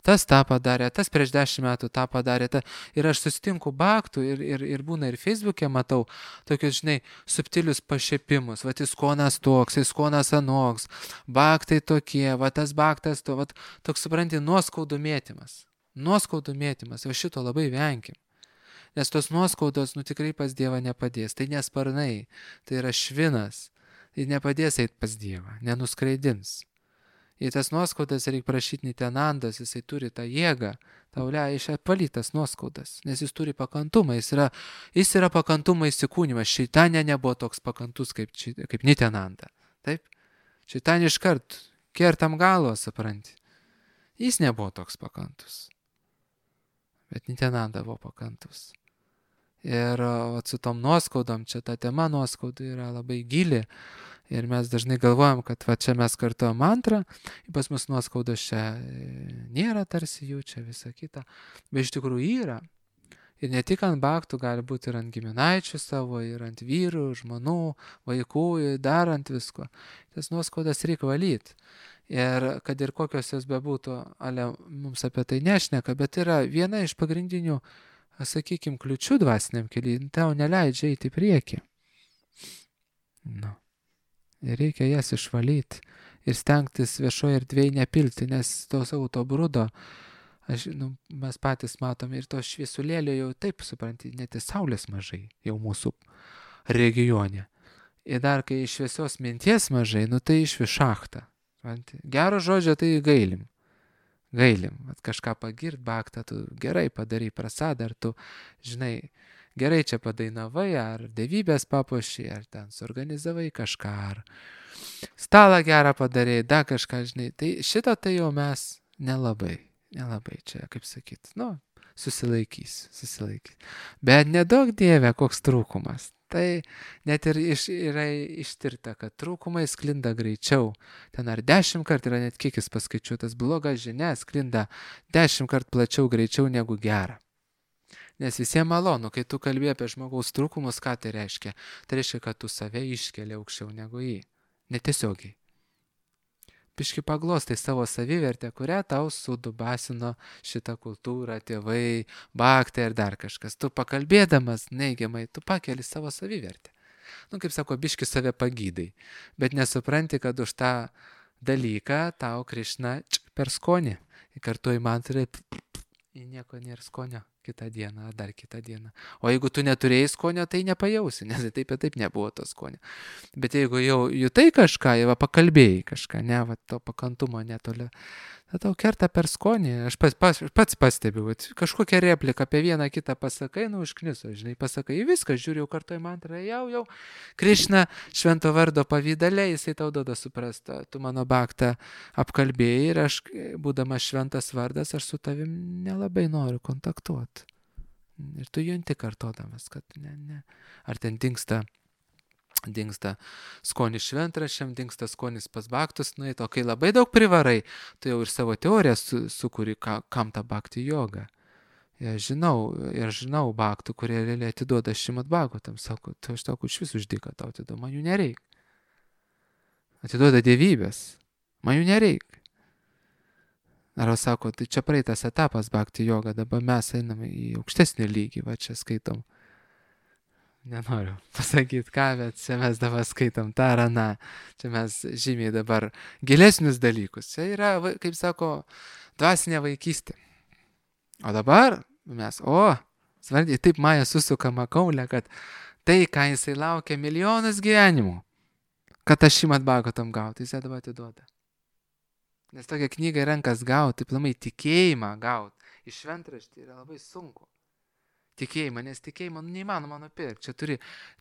Tas tą padarė, tas prieš dešimt metų tą padarė. Ta, ir aš susitinku Bhaktų ir, ir, ir būna ir Facebook'e matau tokius, žinai, subtilius pašiepimus. Vat jis konas toks, jis konas anoks, Bhaktai tokie, va tas Bhaktas to, va toks, supranti, nuoskaudų mėtymas. Nuoskaudų mėtymas, va šito labai venkim. Nes tos nuoskaudos, nu tikrai pas Dievą nepadės. Tai nesparnai, tai yra švinas. Ir nepadės eiti pas Dievą, nenuskreidins. Į tas nuoskaudas reikia prašyti Nitenandas, jisai turi tą jėgą, tau leidžia apvalytas nuoskaudas, nes jis turi pakantumą, jis yra, jis yra pakantumą įsikūnymas. Šeitanė nebuvo toks pakantus kaip, kaip Nitenanda. Taip? Šeitanė iškart kertam galvą, supranti. Jis nebuvo toks pakantus. Bet Nitenanda buvo pakantus. Ir o, su tom nuoskaudom, čia ta tema nuoskaudų yra labai gili. Ir mes dažnai galvojam, kad va čia mes kartuojam mantrą, pas mus nuoskaudos čia nėra tarsi jų, čia visa kita. Bet iš tikrųjų yra. Ir ne tik ant baktų, gali būti ir ant giminaičių savo, ir ant vyrų, žmonų, vaikų, dar ant visko. Tas nuoskaudas reikia valyti. Ir kad ir kokios jos bebūtų, ale mums apie tai nešneka, bet yra viena iš pagrindinių, sakykime, kliučių dvasiniam keliui, tau neleidžia eiti į priekį. Nu. Ir reikia jas išvalyti ir stengtis viešoje erdvėje nepilti, nes to savo to brudo, aš, nu, mes patys matome ir to šviesulėlio jau taip, supranti, net ir saulės mažai jau mūsų regione. Ir dar kai šviesios minties mažai, nu tai iš višachtą. Gero žodžio tai gailim. Gailim, at kažką pagirt baktą, tu gerai padarai prasadą, ar tu, žinai, gerai čia padainavai, ar dievybės papuošiai, ar ten suorganizavai kažką, ar stalą gerą padarei, dar kažką, žinai. Tai šito tai jau mes nelabai, nelabai čia, kaip sakyt, nu, susilaikys, susilaikys. Bet nedaug Dieve, koks trūkumas. Tai net ir iš, yra ištirta, kad trūkumai sklinda greičiau. Ten ar dešimt kart yra net kiekis paskaičiuotas, bloga žinia sklinda dešimt kart plačiau greičiau negu gera. Nes visiems malonu, kai tu kalbė apie žmogaus trūkumus, ką tai reiškia? Tai reiškia, kad tu save iškeli aukščiau negu jį. Netiesiogiai. Piški paglostai savo savivertę, kurią tau sudubasino šitą kultūrą, tėvai, baktai ir dar kažkas. Tu pakalbėdamas neigiamai, tu pakeli savo savivertę. Nu, kaip sako, biški save pagydai. Bet nesupranti, kad už tą dalyką tau Krišna per skonį. Kartu į mantrą, į nieko nėra skonio. Kitą dieną, ar dar kitą dieną. O jeigu tu neturėjai skonio, tai nepajausi, nes taip ir taip nebuvo to skonio. Bet jeigu jau jutai kažką, jau pakalbėjai kažką, ne, va, to pakantumo netoli, tai tau kerta per skonį. Aš pats, pats, pats pastebiu, kažkokią repliką apie vieną kitą pasakai, nu užkniso, žinai, pasakai, viską, žiūri jau kartu į mantrą, jau, jau, Krišna švento vardo pavydale, jisai tau duoda suprastą, tu mano baktą apkalbėjai ir aš, būdamas šventas vardas, aš su tavim nelabai noriu kontaktuoti. Ir tu junti kartodamas, kad ne, ne. Ar ten dingsta, dingsta skonis šventraščiam, dingsta skonis pas baktus, nu, o kai labai daug privarai, tu jau ir savo teoriją su, sukuri, ka, kam ta bakti joga. Ir žinau, ir žinau baktų, kurie realiai atiduoda šimat bagotam, sako, tu aš tau iš vis uždyka tau atiduoda, man jų nereik. Atiduoda dievybės, man jų nereik. Ar sako, tai čia praeitas etapas bakti joga, dabar mes einame į aukštesnį lygį, va čia skaitom. Nenoriu pasakyti ką, bet čia mes dabar skaitom tą ar aną. Čia mes žymiai dabar gilesnius dalykus. Čia yra, kaip sako, dvasinė vaikystė. O dabar mes, o, svarbiai, taip Maja susukama kaulė, kad tai, ką jisai laukia milijonus gyvenimų, kad aš šimat bagotam gauti, jisai dabar atiduoda. Nes tokią knygą į rankas gauti, plamai tikėjimą gauti, iš šventraštį yra labai sunku. Tikėjimą, nes tikėjimą nu, neįmanoma nupirkti. Čia turi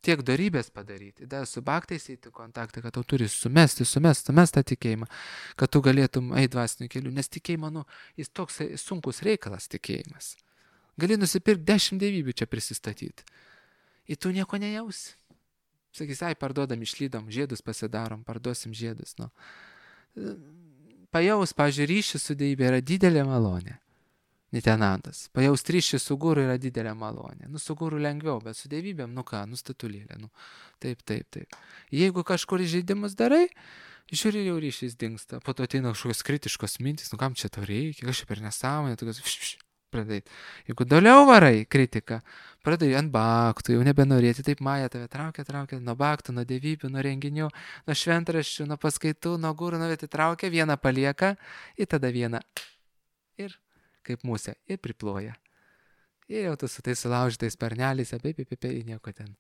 tiek dorybės padaryti, dar su baktais eiti kontaktą, kad tau turi sumesti, sumesti, sumesti tą tikėjimą, kad tu galėtum eiti dvasiniu keliu. Nes tikėjimą, nu, jis toks sunkus reikalas tikėjimas. Gali nusipirkti dešimt dievybių čia prisistatyti. Ir tu nieko nejausi. Sakys, ai, parduodam, išlydom, žiedus pasidarom, parduosim žiedus. Nu. Pajaus, pavyzdžiui, ryšį su dievybė yra didelė malonė. Nitenandas. Pajaus ryšį su guru yra didelė malonė. Nu, su guru lengviau, bet su dievybėm, nu ką, nu statulėlė. Nu, taip, taip, taip. Jeigu kažkur įžeidimus darai, žiūri, jau ryšys dingsta. Po to ateina kažkokios kritiškos mintys, nu kam čia to reikia, kažkaip per nesąmonę, tokios, vš, vš, pradėti. Jeigu toliau varai kritiką, pradėjai ant baktų, jau nebenorėti, taip Maja tave traukia, traukia, nuo baktų, nuo dievybių, nuo renginių, nuo šventraščių, nuo paskaitų, nuo gurų, nuo vietų traukia, vieną palieka ir tada vieną ir kaip musė, ir priploja. Ir jau tu su tais sulaužytais sparneliais, apie, apie, apie, nieko ten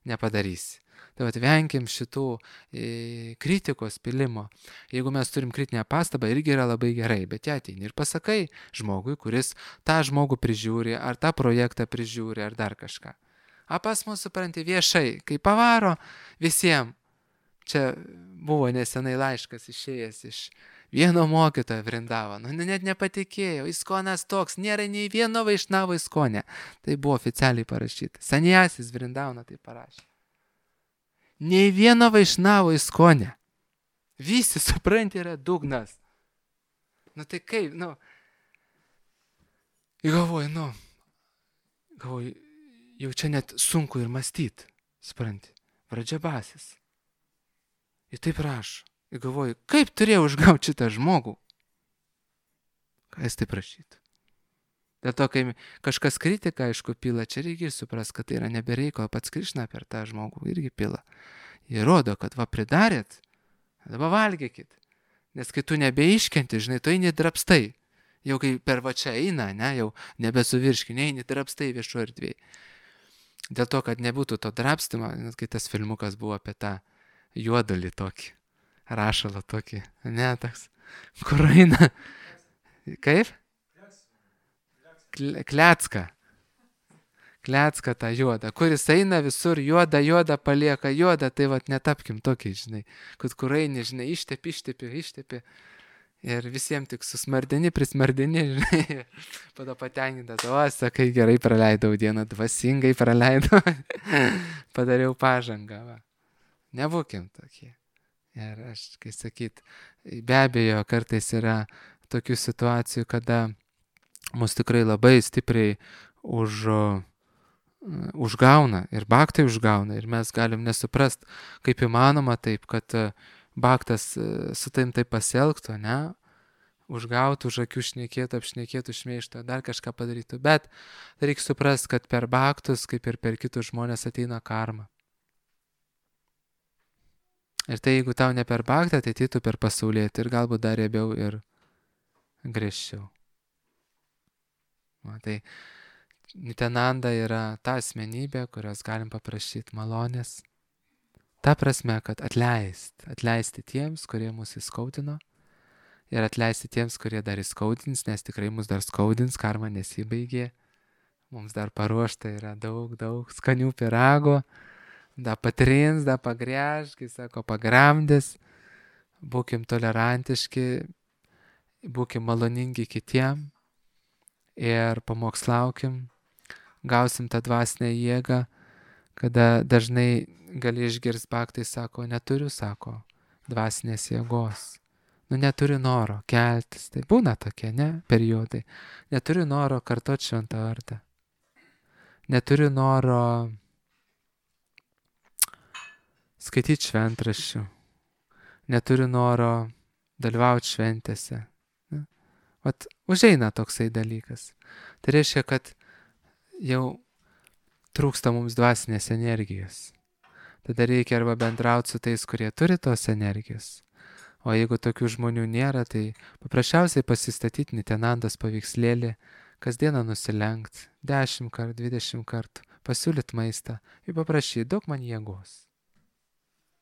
nepadarysi. Tai vat venkim šitų e, kritikos pilimo. Jeigu mes turim kritinę pastabą, irgi yra labai gerai, bet ją ateini ir pasakai žmogui, kuris tą žmogų prižiūri, ar tą projektą prižiūri, ar dar kažką. A pas mus, supranti, viešai, kai pavaro visiems. Čia buvo nesenai laiškas išėjęs iš vieno mokytojo Vrindavano. Nu, net nepatikėjau, Iskonas toks, nėra nei vieno Vaišnavo Iskone. Tai buvo oficialiai parašyta. Sanjasis Vrindavano tai parašė. Nei vieno Vaišnavo Iskone. Visi, supranti, yra dugnas. Nu tai kaip, nu. Galvoju, nu. Galvoju, jau čia net sunku ir mąstyti. Supranti, Vradžabasis. Ir taip rašo. Ir galvoju, kaip turėjau užgauti šitą žmogų? Ką jis taip rašytų? Dėl to, kai kažkas kritiką, aišku, pila, čia reikia supras, kad tai yra nebereiko, pats Krišna per tą žmogų irgi pila. Jie rodo, kad va pridarėt, dabar valgykit. Nes kai tu nebeiškenti, žinai, tu eini drapstai. Jau kai per va čia eina, ne, jau nebesuvirškini, eini drapstai viešo erdvėje. Dėl to, kad nebūtų to drapstimo, net kai tas filmukas buvo apie tą juodulį tokį, rašalą tokį, ne, toks, kur eina, kaip? Klecka. Klecka tą juodą, kuris eina visur juodą, juodą palieka juodą, tai vat netapkim tokiai, žinai, kad kur eini, žinai, ištepi, ištepi, ištepi ir visiems tik susmardini, prismardini, žinai, pada patenkintas, o, sakai, gerai praleidau dieną, dvasingai praleidau, padariau pažangą, va. Nebūkim tokie. Ir aš, kai sakyt, be abejo, kartais yra tokių situacijų, kada mus tikrai labai stipriai už, uh, užgauna ir baktai užgauna ir mes galim nesuprast, kaip įmanoma taip, kad uh, baktas uh, su taim taip pasielgtų, ne? Užgautų, už akių šnekėtų, apšnekėtų, šmeižtų, dar kažką padarytų. Bet reikia suprast, kad per baktus, kaip ir per kitus žmonės ateina karma. Ir tai jeigu tau ne per baktą, tai tai tu per pasaulietį ir galbūt dar riebiau ir griežčiau. O, tai Nityananda yra ta asmenybė, kurios galim paprašyti malonės. Ta prasme, kad atleist, atleisti tiems, kurie mus įskaudino ir atleisti tiems, kurie dar įskaudins, nes tikrai mus dar skaudins, karma nesibaigė. Mums dar paruošta yra daug, daug skanių pirago. Da patrins, da pagrėž, kai sako, pagramdės, būkim tolerantiški, būkim maloningi kitiem ir pamokslaukim, gausim tą dvasinę jėgą, kada dažnai gali išgirsti baktai, sako, neturiu, sako, dvasinės jėgos. Nu, neturiu noro keltis, tai būna tokie, ne, periodai. Neturiu noro kartot šventą vardą. Neturiu noro skaityti šventraščių, neturiu noro dalyvauti šventėse. Ne? Vat užeina toksai dalykas. Tai reiškia, kad jau trūksta mums dvasinės energijos. Tada reikia arba bendrauti su tais, kurie turi tos energijos. O jeigu tokių žmonių nėra, tai paprasčiausiai pasistatyti Nityanandos paveikslėlį, kasdieną nusilenkt, dešimt kart, dvidešimt kartų, pasiūlyti maistą ir paprašyti, duok man jėgos.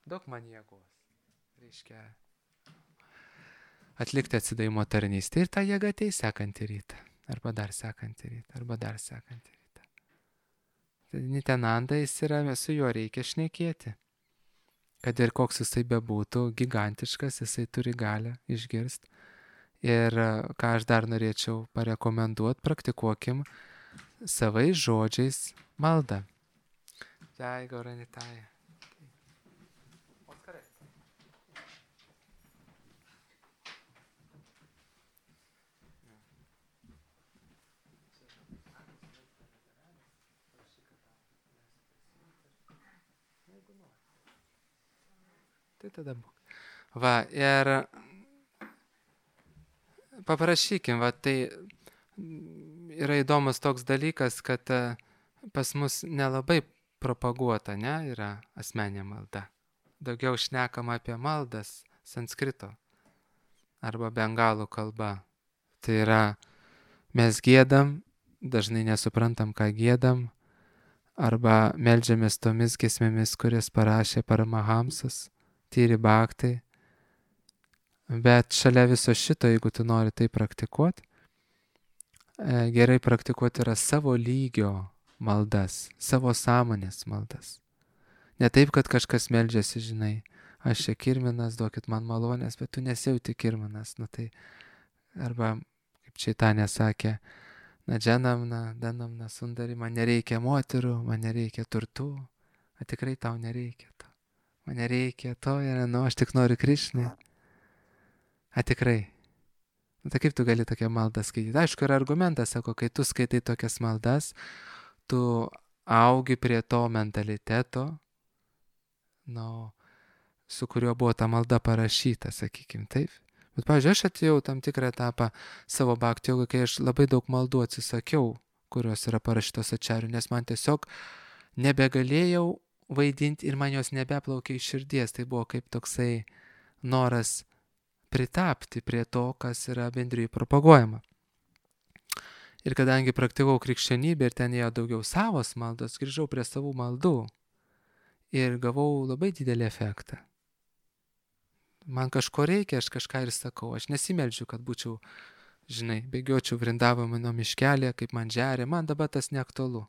Daug man jėgos. Reiškia, atlikti atsidavimo tarnystę ir ta jėga ateis sekantį rytą. Arba dar sekantį rytą. Arba dar sekantį rytą. Tai Nityananda jis yra, su juo reikia šnekėti. Kad ir koks jisai bebūtų, gigantiškas, jisai turi galią išgirsti. Ir ką aš dar norėčiau parekomenduoti, praktikuokim savais žodžiais maldą. Jai Gauranitai. Tai tada būk. Va, ir paprašykim, va, tai yra įdomus toks dalykas, kad pas mus nelabai propaguota, ne, yra asmeninė malda. Daugiau šnekama apie maldas sanskrito arba bengalų kalba. Tai yra, mes giedam, dažnai nesuprantam, ką giedam, arba meldžiamės tomis giesmėmis, kurias parašė Paramahamsas, Tyri Bhaktai. Bet šalia viso šito, jeigu tu nori tai praktikuoti, gerai praktikuoti yra savo lygio maldas, savo sąmonės maldas. Ne taip, kad kažkas meldžiasi, žinai, aš čia kirminas, duokit man malonės, bet tu nesijauti kirminas. Nu tai, arba, kaip Čaitanė sakė, na dženamna, danamna, sundari, man nereikia moterų, man nereikia turtų, o tikrai tau nereikia to. Man nereikia to ir, nu, aš tik noriu Krišnai. A tikrai. Nu, tai kaip tu gali tokią maldą skaityti? Aišku, yra argumentas, sako, kai tu skaitai tokias maldas, tu augi prie to mentaliteto, nu, su kuriuo buvo ta malda parašyta, sakykim, taip. Bet, pavyzdžiui, aš atėjau tam tikrą etapą savo bhakti jogoj, kai aš labai daug maldų atsisakiau, kurios yra parašytos ačarių, nes man tiesiog nebegalėjau vaidinti ir man jos nebeplaukė iš širdies. Tai buvo kaip toksai noras pritapti prie to, kas yra bendrijai propaguojama. Ir kadangi praktikavau krikščionybę ir ten ėjo daugiau savos maldos, grįžau prie savų maldų ir gavau labai didelį efektą. Man kažko reikia, aš kažką ir sakau, aš nesimeldžiu, kad būčiau, žinai, bėgiočiau Vrindavano miškelėje, kaip man žeria, man dabar tas neaktualu.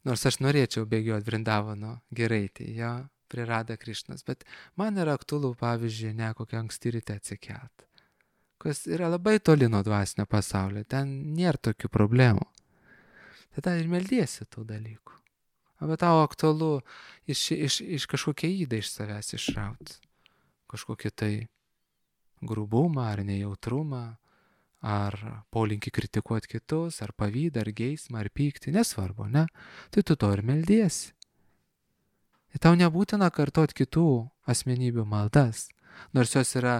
Nors aš norėčiau bėgioti Vrindavano giraitį, jo, prie Radha Krišnos, bet man yra aktualu, pavyzdžiui, ne kokią anksti ryte atsikelt, kas yra labai toli nuo dvasinio pasaulio, ten nėra tokių problemų. Tada ir meldiesi tų dalykų. Arba tau aktualu iš, iš, iš kažkokią įdą iš savęs išrauti, kažkokį tai grubumą ar nejautrumą, ar polinkį kritikuoti kitus, ar pavydą, ar geismą, ar pyktį, nesvarbu, ne? Tai tu to ir meldiesi. Ir tau nebūtina kartoti kitų asmenybių maldas, nors jos yra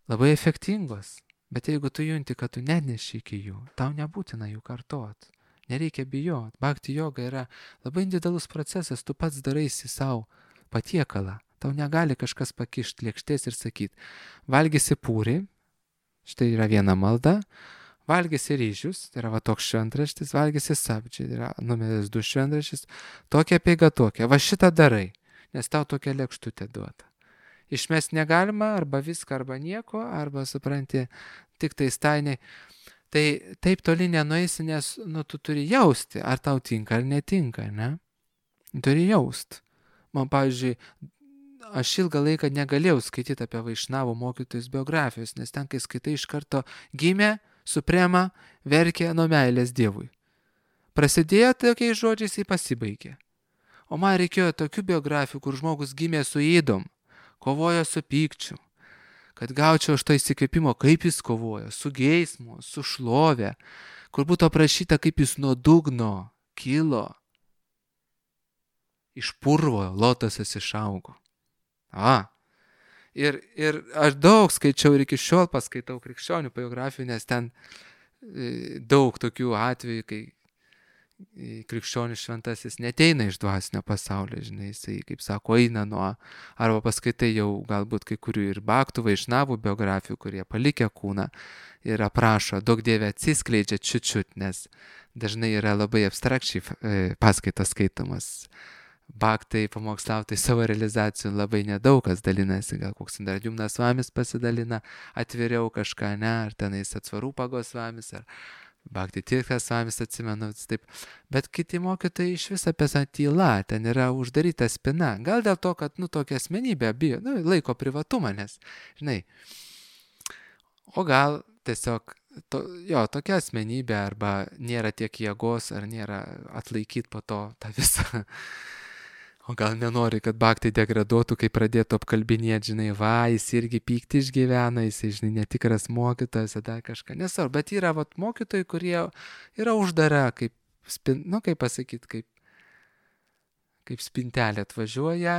labai efektingos, bet jeigu tu junti, kad tu neneši iki jų, tau nebūtina jų kartoti, nereikia bijoti. Bhakti joga yra labai individualus procesas, tu pats daraisi savo patiekalą, tau negali kažkas pakišti lėkštės ir sakyti, valgysi pūrį, štai yra viena malda, valgysi ryžius, tai yra va toks šventraštis, valgysi sabdžiai, tai yra numeris du šventraštis, tokia peiga tokia, va šitą darai, nes tau tokia lėkštutė duota. Išmest negalima, arba viską, arba nieko, arba supranti, tik tai stainiai. Tai taip toli nenueisi, nes nu, tu turi jausti, ar tau tinka, ar netinka, ne? Turi jausti. Man, pavyzdžiui, aš ilgą laiką negalėjau skaityti apie Vaišnavų mokytojus biografijos, nes ten, kai skaitai, iš karto gimė, suprema, verkė nuo meilės Dievui. Prasidėjo tokiais žodžiais, jį pasibaigė. O man reikėjo tokių biografijų, kur žmogus gimė su įdom, kovojo su pykčiu, kad gaučiau aš to įsikvėpimo, kaip jis kovojo, su geismu, su šlove, kur būtų aprašyta, kaip jis nuo dugno kilo, iš purvo lotosas išaugo. A, ir, ir aš daug skaičiau ir iki šiol paskaitau krikščionių biografijų, nes ten e, daug tokių atvejų, kai e, krikščionių šventasis neteina iš dvasinio pasaulio, žinai, jisai, kaip sako, eina nuo, arba paskaitai jau galbūt kai kurių ir bhaktų, vaišnavų biografijų, kurie palikę kūną ir aprašo, daug dievė atsiskleidžia čiut-čiut, nes dažnai yra labai abstrakčiai e, paskaitos skaitomas. Bhaktai, pamokslautai savo realizacijų labai nedaug kas dalinasi, gal koks Indradyumnas Svamis pasidalina atviriau kažką, ne, ar tenais Atsvarūpagos Svamis, ar Bhakti Tirthas Svamis, atsimenu, taip. Bet kiti mokytojai iš vis apie tą tylą, ten yra uždaryta spina, gal dėl to, kad, nu, tokia asmenybė bijo, nu, laiko privatumą, nes, žinai, o gal tiesiog, to, jo, tokia asmenybė, arba nėra tiek jėgos, ar nėra atlaikyti po to tą visą. O gal nenori, kad bhakti degraduotų, kai pradėtų apkalbinėti, žinai, va, jis irgi pykti išgyvena, jis, žinai, netikras mokytojas, dar kažką. Nesvarbu, bet yra vat, mokytojai, kurie yra uždara, kaip, spin, nu, kaip pasakyti, kaip, kaip spintelė atvažiuoja,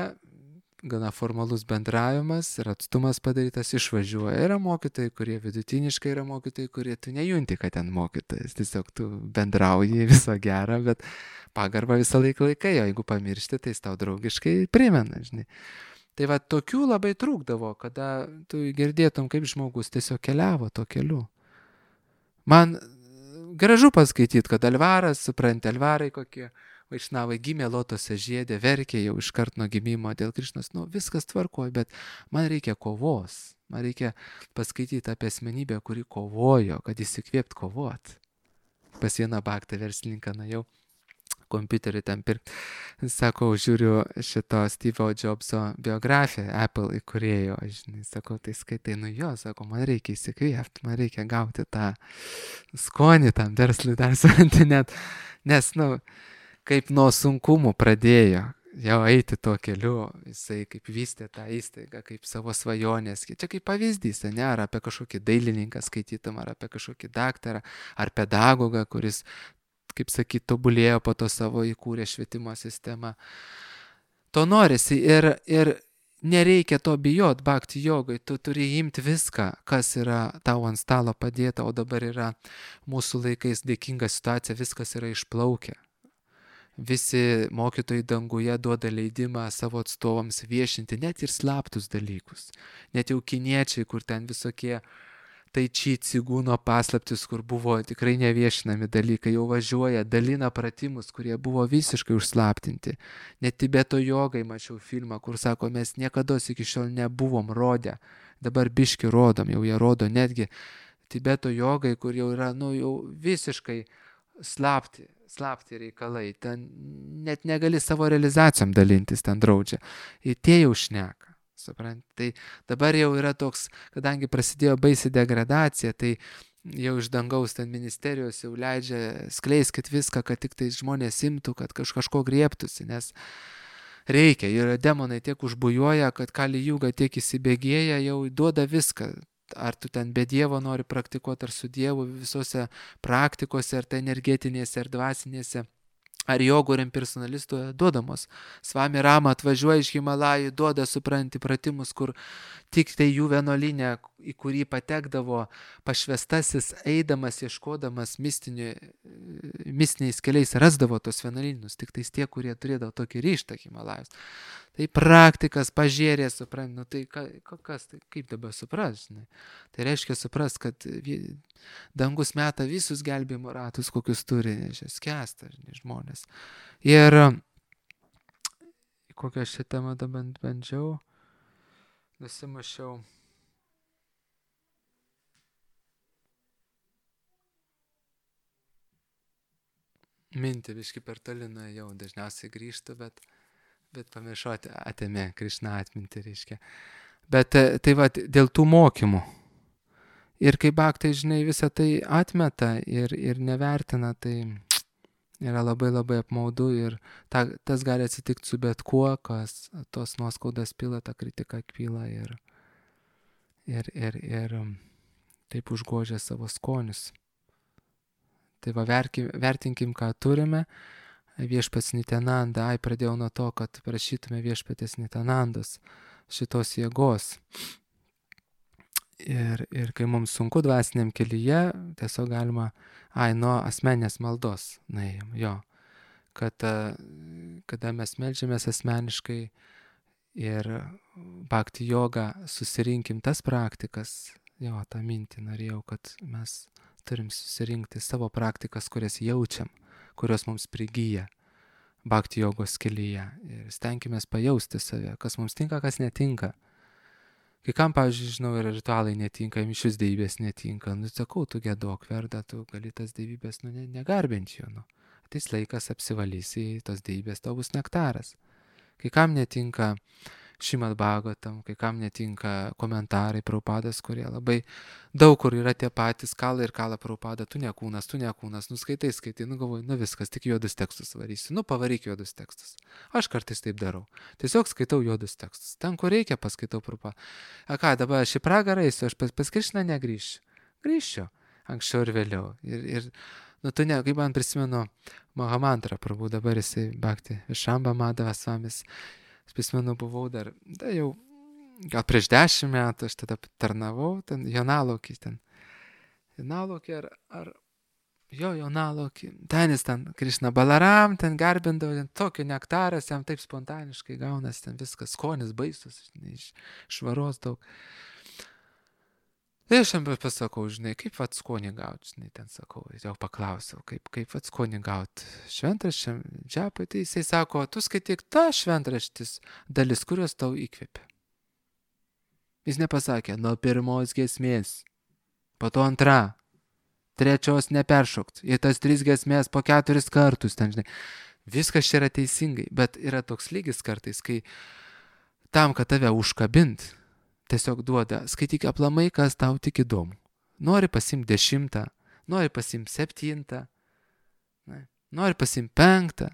gana formalus bendravimas ir atstumas padarytas, išvažiuoja. Yra mokytojai, kurie vidutiniškai, yra mokytojai, kurie tu nejunti, kad ten mokytojas, tiesiog tu bendrauji viso gero, bet pagarbą visą laiką laikai, o jeigu pamiršti, tai jis tau draugiškai primena, žinai. Tai va tokių labai trūkdavo, kada tu girdėtum, kaip žmogus tiesiog keliavo to keliu. Man gražu paskaityti, kad Alvaras, supranti, Alvarai kokie Vaišnavai gimė Lotose žiedė, verkė jau iškart nuo gimimo dėl Krišnos. Nu, viskas tvarkoja, bet man reikia kovos. Man reikia paskaityti apie asmenybę, kuri kovojo, kad įsikvėpt kovot. Pas vieną baktą verslininką nuėjau, kompiuterį ten pirkti. Sakau, žiūriu šito Steve'o Jobso biografiją, Apple įkūrėjo, žinai, sakau, tai skaitai, nu jo, sakau, man reikia įsikvėpti, man reikia gauti tą skonį tam verslui dar suranti net, nes, nu, kaip nuo sunkumų pradėjo jau eiti tuo keliu, jisai kaip vystė tą įstaigą, kaip savo svajonės, čia kaip pavyzdys, ne, ar apie kažkokį dailininką skaitytum, ar apie kažkokį daktarą, ar pedagogą, kuris, kaip sakyt, tobulėjo po to savo įkūrė švietimo sistemą. To norisi ir, ir nereikia to bijot, bhakti jogai, tu turi imti viską, kas yra tau ant stalo padėta, o dabar yra mūsų laikais dėkinga situacija, viskas yra išplaukę. Visi mokytojai danguje duoda leidimą savo atstovams viešinti net ir slaptus dalykus. Net jau kiniečiai, kur ten visokie tai či cigūno paslaptis, kur buvo tikrai neviešinami dalykai, jau važiuoja, dalina pratimus, kurie buvo visiškai užslaptinti. Net Tibeto jogai mačiau filmą, kur sako, mes niekada iki šiol nebuvom rodę, dabar biški rodom, jau jie rodo netgi Tibeto jogai, kur jau yra, nu, jau visiškai slapti, slapti reikalai, ten net negali savo realizacijom dalintis, ten draudžia. Ir tie jau šneka, suprant. Tai dabar jau yra toks, kadangi prasidėjo baisi degradacija, tai jau iš dangaus ten ministerijos jau leidžia skleiskit viską, kad tik tai žmonės imtų, kad kaž, kažko griebtųsi, nes reikia. Ir demonai tiek užbujuoja, kad kali jūga tiek įsibėgėja, jau duoda viską. Ar tu ten be Dievo nori praktikuoti, ar su Dievu visose praktikose, ar tai energetinėse, ar dvasinėse, ar jogų, ar impersonalistų duodamos. Svami Rama atvažiuoja iš Himalajų, duoda, supranti, pratimus, kur tik tai jų vienuolinė, į kurį patekdavo pašvestasis, eidamas, ieškodamas mistinių, mistiniais keliais, rasdavo tos vienuolynus, tik tais tie, kurie turėdavo tokį ryštą Himalajus. Tai praktikas, pažėrė, supranti, nu tai ka, kas, tai kaip dabar supras, žinai. Tai reiškia supras, kad dangus meta visus gelbėjimo ratus, kokius turi, nežinai, skęsta, žinai, žmonės. Ir kokią šią temą dabar bandžiau, nusimušiau. Mintį viški per toli nuėjau, dažniausiai grįžtu, bet bet pamiršau, atėmė Krišna atmintį, reiškia. Bet tai va, dėl tų mokymų. Ir kai bhaktai, žinai, visą tai atmeta ir, ir nevertina, tai yra labai labai apmaudu ir ta, tas gali atsitikti su bet kuo, kas tos nuoskaudas pila, tą kritiką pila ir, ir, ir, ir taip užgožia savo skonius. Tai va, verkim, vertinkim, ką turime. Viešpats Nityananda, ai, pradėjau nuo to, kad prašytume viešpatės Nityanandos šitos jėgos. Ir, ir kai mums sunku dvasiniam kelyje, tiesiog galima, ai, nuo asmenės maldos nuėjom, jo. Kad, kada mes meldžiamės asmeniškai ir bhakti jogą susirinkim tas praktikas, jo, tą mintį norėjau, kad mes turim susirinkti savo praktikas, kurias jaučiam, kurios mums prigyja bhakti jogos kelyje. Ir stenkimės pajausti save, kas mums tinka, kas netinka. Kai kam, pavyzdžiui, žinau, ir ritualai netinka, mišios dievybės netinka. Nu, sakau, tu giedok, verda, tu gali tas dievybės, nu, negarbinti jų. Nu. Ateis laikas, apsivalysi, tos dievybės, tau bus nektaras. Kai kam netinka Šrimad Bhagavatam, kai kam netinka komentarai Prabhupados, kurie labai daug kur yra tie patys, kala ir kala Prabhupada, tu ne kūnas, tu ne kūnas, nu skaitai, skaitai, nu galvoju, nu viskas, tik juodus tekstus varysiu, nu pavaryk juodus tekstus. Aš kartais taip darau, tiesiog skaitau juodus tekstus, ten kur reikia paskaitau Prabhupadą. A ką, dabar aš į pragarą eisiu, aš pas, pas Krišną negrįšiu, grįšiu, anksčiau ir vėliau. Ir, ir nu tu ne, kaip man prisimenu Mahamantra Prabhu, dabar jisai Bhakti Višamba Madhava Svamis. Aš prisimenu, buvau dar, da jau, gal prieš dešimt metų, aš tada tarnavau, ten Jonalaukį, ten, Jonalaukį ar, ar, jo, Jonalaukį, ten jis ten, Krišna Balaram, ten garbindavo, ten tokio nektaras, jam taip spontaniškai gaunas, ten viskas, skonis baisus, iš švaros daug. Tai aš jam pasakau, žinai, kaip vat skonį gauti, žinai, ten sakau, jau paklausiau, kaip, kaip vat skonį gauti šventraščiam, džiapui, tai jisai sako, tu skaityk tą šventraštis dalis, kurios tau įkvėpia. Jis nepasakė, nuo pirmos giesmės, po to antra, trečios neperšokt, į tas tris giesmės po keturis kartus, ten, žinai. Viskas čia yra teisingai, bet yra toks lygis kartais, kai tam, kad tave užkabint, tiesiog duoda, skaityk aplamai, kas tau tik įdomu. Nori pasimti dešimtą, nori pasimti septintą, ne, nori pasimti penktą.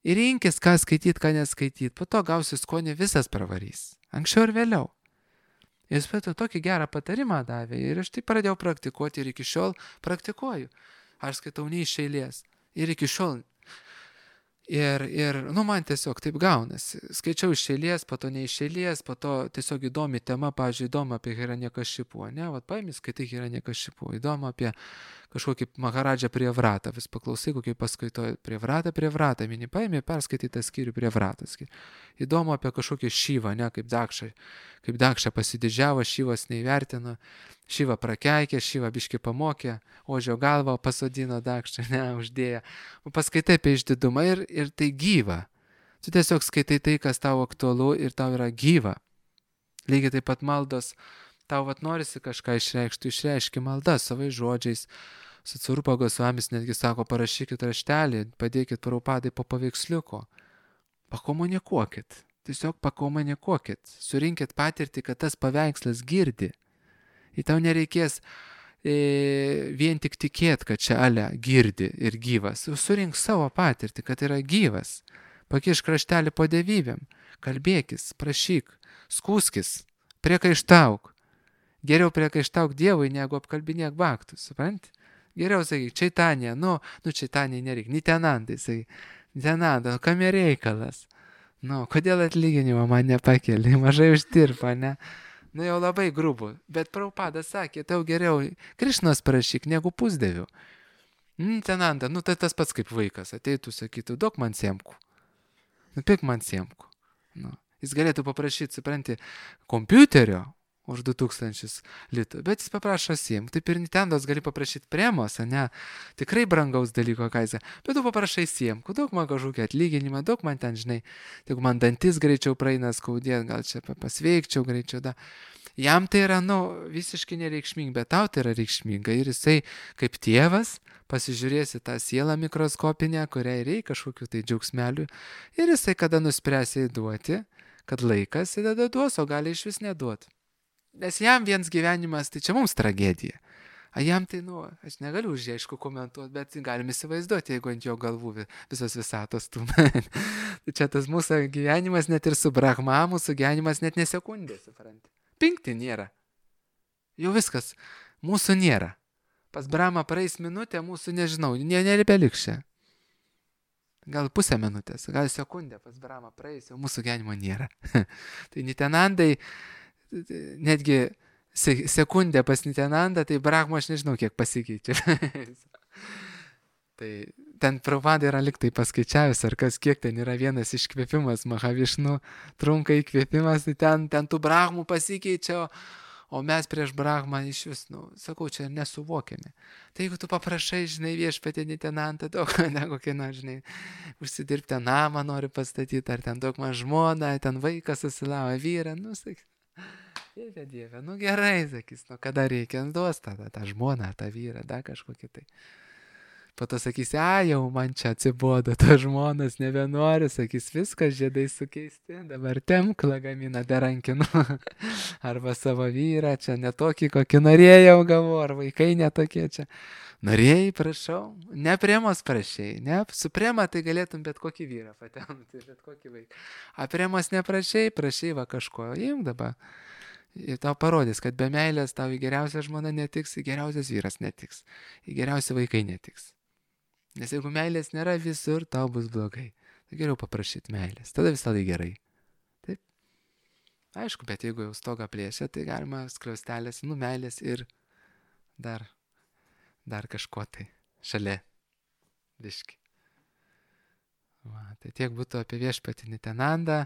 Ir rinkis, ką skaityti, ką neskaityti. Po to gausi skonį, visas pravarys. Anksčiau ir vėliau. Jis pat tokį gerą patarimą davė ir aš tai pradėjau praktikuoti ir iki šiol praktikuoju. Aš skaitau ne iš eilės. Ir iki šiol. Ir, ir, nu, man tiesiog taip gaunasi. Skaičiau iš eilės, po to ne iš eilės, po to tiesiog įdomi tema, pavyzdžiui, įdomu apie Hiranyakashipu, ne? Vat paimi, skaitai Hiranyakashipu, įdomu apie kažkokį Maharadžą Prievratą, vis paklausai, kokį paskaitoji Prievratą, Prievratą, mini paimi, perskaitai tą skyrių Prievratą. Įdomu apie kažkokį Šyvą, ne, kaip Dakša, kaip Dakša pasididžiavo, Šyvas neįvertino, Šyva prakeikė, Šyva biški pamokė, ožio galvą pasodino Dakšą, ne, uždėjo. Paskaitai apie išdidumą ir, ir tai gyva. Tu tiesiog skaitai tai, kas tau aktualu ir tau yra gyva. Lygiai taip pat maldos, tau vat norisi kažką išreikšti, išreiški maldą savais žodžiais. Satsvarupa Gosvamis netgi sako, parašykit raštelį, padėkit Prabhupadai po paveiksliuko. Pakomunikuokit, tiesiog pakomunikuokit, surinkit patirtį, kad tas paveikslas girdi. Ir tau nereikės e, vien tik tikėti, kad čia ale girdi ir gyvas. Surink savo patirtį, kad yra gyvas. Pakiš kraštelį po devybėm. Kalbėkis, prašyk, skūskis, priekaištauk. Geriau priekaištauk Dievui, negu apkalbinėk baktus, supranti? Geriau sakyk, Čaitanija, nu, nu Čaitanijai nereik, Nitenandai, sakyk, Nitenanda, nu kam reikalas? Nu, kodėl atlyginimą man nepakeli, mažai uždirba, ne? Nu jau labai grubu, bet Prabhupadas sakė, tau geriau Krišnos prašyk negu pusdevių. Nitenanda, nu tai tas pats kaip vaikas, ateitų, sakytų, duok man siemkų. Nupik man siemkų. Nu, jis galėtų paprašyti, supranti, kompiuterio už du tūkstančius litų, bet jis paprašo siemkų. Taip ir Nitendos gali paprašyti premos, ne, tikrai brangaus dalyko, ką jis, bet tu paprašai siemkų, daug man kažkokį atlyginimą, daug man ten, žinai, tik man dantis greičiau praeina skaudėt, gal čia pasveikčiau greičiau, da. Jam tai yra, nu, visiškai nereikšminga, bet tau tai yra reikšminga ir jisai kaip tėvas pasižiūrėsi tą sielą mikroskopinę, kuriai reikia kažkokių tai džiaugsmelių ir jisai kada nuspręs įduoti, kad laikas įdeda duos, o gali iš vis neduoti. Nes jam viens gyvenimas, tai čia mums tragedija. A jam tai, nu, aš negaliu už jį aišku komentuoti, bet galim įsivaizduoti, jeigu ant jo galvų visos visatos tūna. Tai čia tas mūsų gyvenimas net ir su Brahma, mūsų gyvenimas net nesekundė, supranti. Pinkti nėra. Jau viskas. Mūsų nėra. Pas Brahma praeis minutė, mūsų nežinau, nebeliks čia. Gal pusę minutės, gal sekundę pas Brahma praeis, jau mūsų gyvenimo nėra. Tai Nitenandai, netgi sekundę pas Nitenandą, tai Brahma aš nežinau, kiek pasikeičia. Tai ten Prabhupada yra liktai paskaičiavęs, ar kas kiek ten yra vienas iškvėpimas, Mahavišnu trunka įkvėpimas, tai ten, ten tų Brahmų pasikeičia, o mes prieš Brahmą iš vis, nu, sakau, čia nesuvokiame. Tai jeigu tu paprašai, žinai, viešpatį Nitenantą, daug, negu kieno, žinai, užsidirbti namą nori pastatyti, ar ten daug man žmona, ten vaikas susilavo vyrą, nu, sakyk, dieve, dieve, nu gerai, sakys, nu kada reikia, duos tą, tą žmoną, tą vyrą, dar kažkokį tai. Po to sakys, a, jau man čia atsibodo, to žmonas nebenori, sakys, viskas žiedai sukeisti, dabar temk lagaminą derankinu, arba savo vyrą, čia netokį, kokį norėjau gavau, ar vaikai netokie čia. Norėjai, prašau, ne priemos prašėjai, ne, su priema tai galėtum bet kokį vyrą patemti, bet kokį vaiką. A priemos neprašėjai, prašėjai va kažko, imk dabar. Ir tau parodys, kad be meilės tau į geriausią žmoną netiks, į geriausias vyras netiks, į geriausi vaikai netiks. Nes jeigu meilės nėra visur, tau bus blogai. Tai geriau paprašyti meilės. Tada visą laiką gerai. Taip. Aišku, bet jeigu jau stogą plėšia, tai galima skliaustelės, nu meilės ir dar, dar kažko tai šalia. Biški. Va, tai tiek būtų apie viešpatį Nitenandą.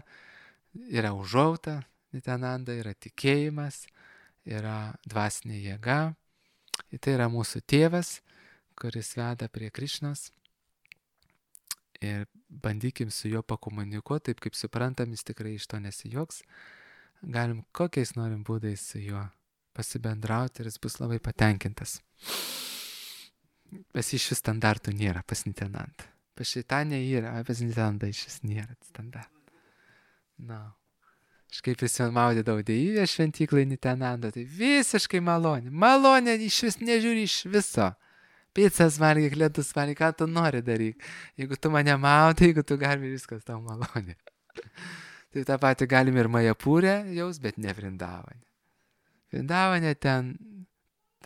Yra užuojauta Nitenanda, yra tikėjimas. yra dvasinė jėga. Ir tai yra mūsų tėvas, kuris veda prie Krišnos. Ir bandykim su juo pakomunikuoti, taip kaip suprantam, jis tikrai iš to nesijoks. Galim kokiais norim būdais su juo pasibendrauti ir jis bus labai patenkintas. Pas iš vis standartų nėra pas Nitenandą. Pas Šeitanę yra, o pas Nitenandą iš vis nėra standartų. Na. Aš kaip prisimenu maudydavau deivę šventyklai Nitenandą, tai visiškai malonė. Malonė iš vis nežiūri iš viso. Pizzas valgyk, ledus valgyk, ką tu nori daryk. Jeigu tu mane maudai, jeigu tu galime, viskas tau malonė. Tai tą patį galim ir Majapūrę jaus, bet ne Vrindavane. Vrindavane ten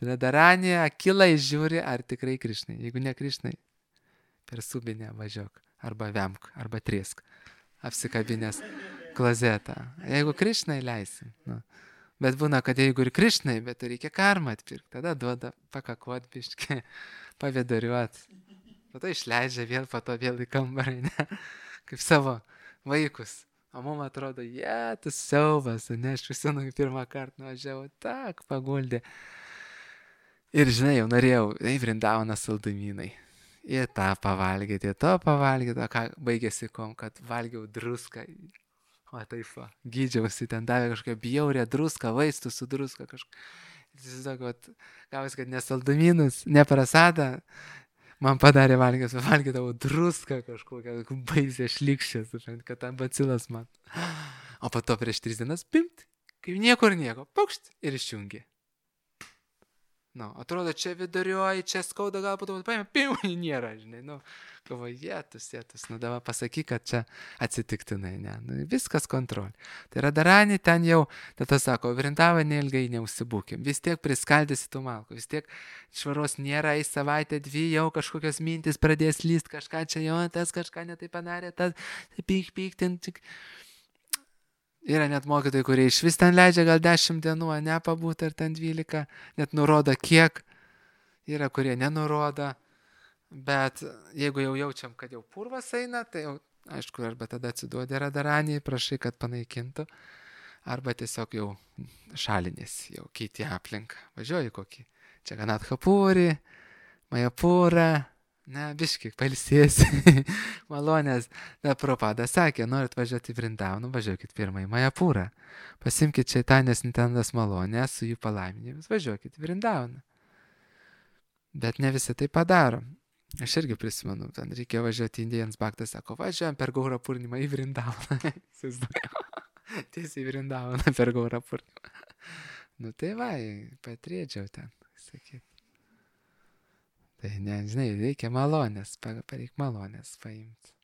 Radharanė akilai žiūri, ar tikrai Krišnai. Jeigu ne Krišnai, per subinę važiuok, arba vemk, arba triesk, apsikabinės klozetą. Jeigu Krišnai leisim. Nu. Bet būna, kad jeigu ir Krišnai, bet reikia karmą atpirkti, tada duoda pakakuot biškį, pavedariuot. Po to išleidžia vėl, po to vėl į kambarį, ne? Kaip savo vaikus. O mum atrodo, jie, tu siaubas, ne, aš visinu pirmą kartą nuvažiavau, tak, paguldė. Ir žinai, jau norėjau, ei, Vrindavaną saldumynai. Ir tą pavalgyti, ir to pavalgyti, o ką baigėsi kom, kad valgiau druską. O taip, va, gydžiausi, ten davė kažkokią bjaurę druską, vaistų su druska kažkokią. Jis sako, gavus, kad ne saldumynus, ne prasadą, man padarė valgęs, valgydavau druską kažkokią, baisę šlikščią, kad ten bacilas man. O po to prieš tris dienas, pimt, kaip niekur nieko, paukšt ir išjungė. Nu, atrodo, čia viduriuoji, čia skauda, gal po to paėmė, pim, nėra, žinai, nu, galvoju, jėtus, jėtus, nu, dabar pasakyk, kad čia atsitiktinai, ne, nu, viskas kontrolė. Tai Radharani ten jau, tada sako, Vrindavane ilgai neužsibūkim, vis tiek priskaldysi tų malkų, vis tiek švaros nėra, į savaitę dvi jau kažkokios mintis pradės lyst, kažką čia jau, tas kažką netai padarė, tas, tai pyk, pyk, ten tik... Yra net mokytojai, kurie iš vis ten leidžia gal dešimt dienų, ne pabūti, ar ten dvylika, net nurodo kiek. Yra, kurie nenurodo, bet jeigu jau jaučiam, kad jau purvas eina, tai jau, aišku, arba tada atsiduodi Radharanijai, prašai, kad panaikintų, arba tiesiog jau šalinės, jau keiti aplinką. Važiuoji kokį. Čia Ganatkhapurį, Majapūrą. Ne, biški, pailsėsi, malonės. Da Prabhupada sakė, norit važiuoti į Vrindavaną, važiuokit pirmą į Majapūrą. Pasimkit Šeitanės Nitenandos malonę su jų palaiminimis, važiuokit į Vrindavaną. Bet ne visi tai padaro. Aš irgi prisimenu, ten reikėjo važiuoti į Indijans Bhaktas, sako, važiuojam per Gaurą Purnimą į Vrindavaną. Tiesiai į Vrindavaną per Gaurą Purnimą. Nu tai va, patriedžiau ten, sakyt. Tai ne, žinai, reikia malonės, pareik malonės paimti.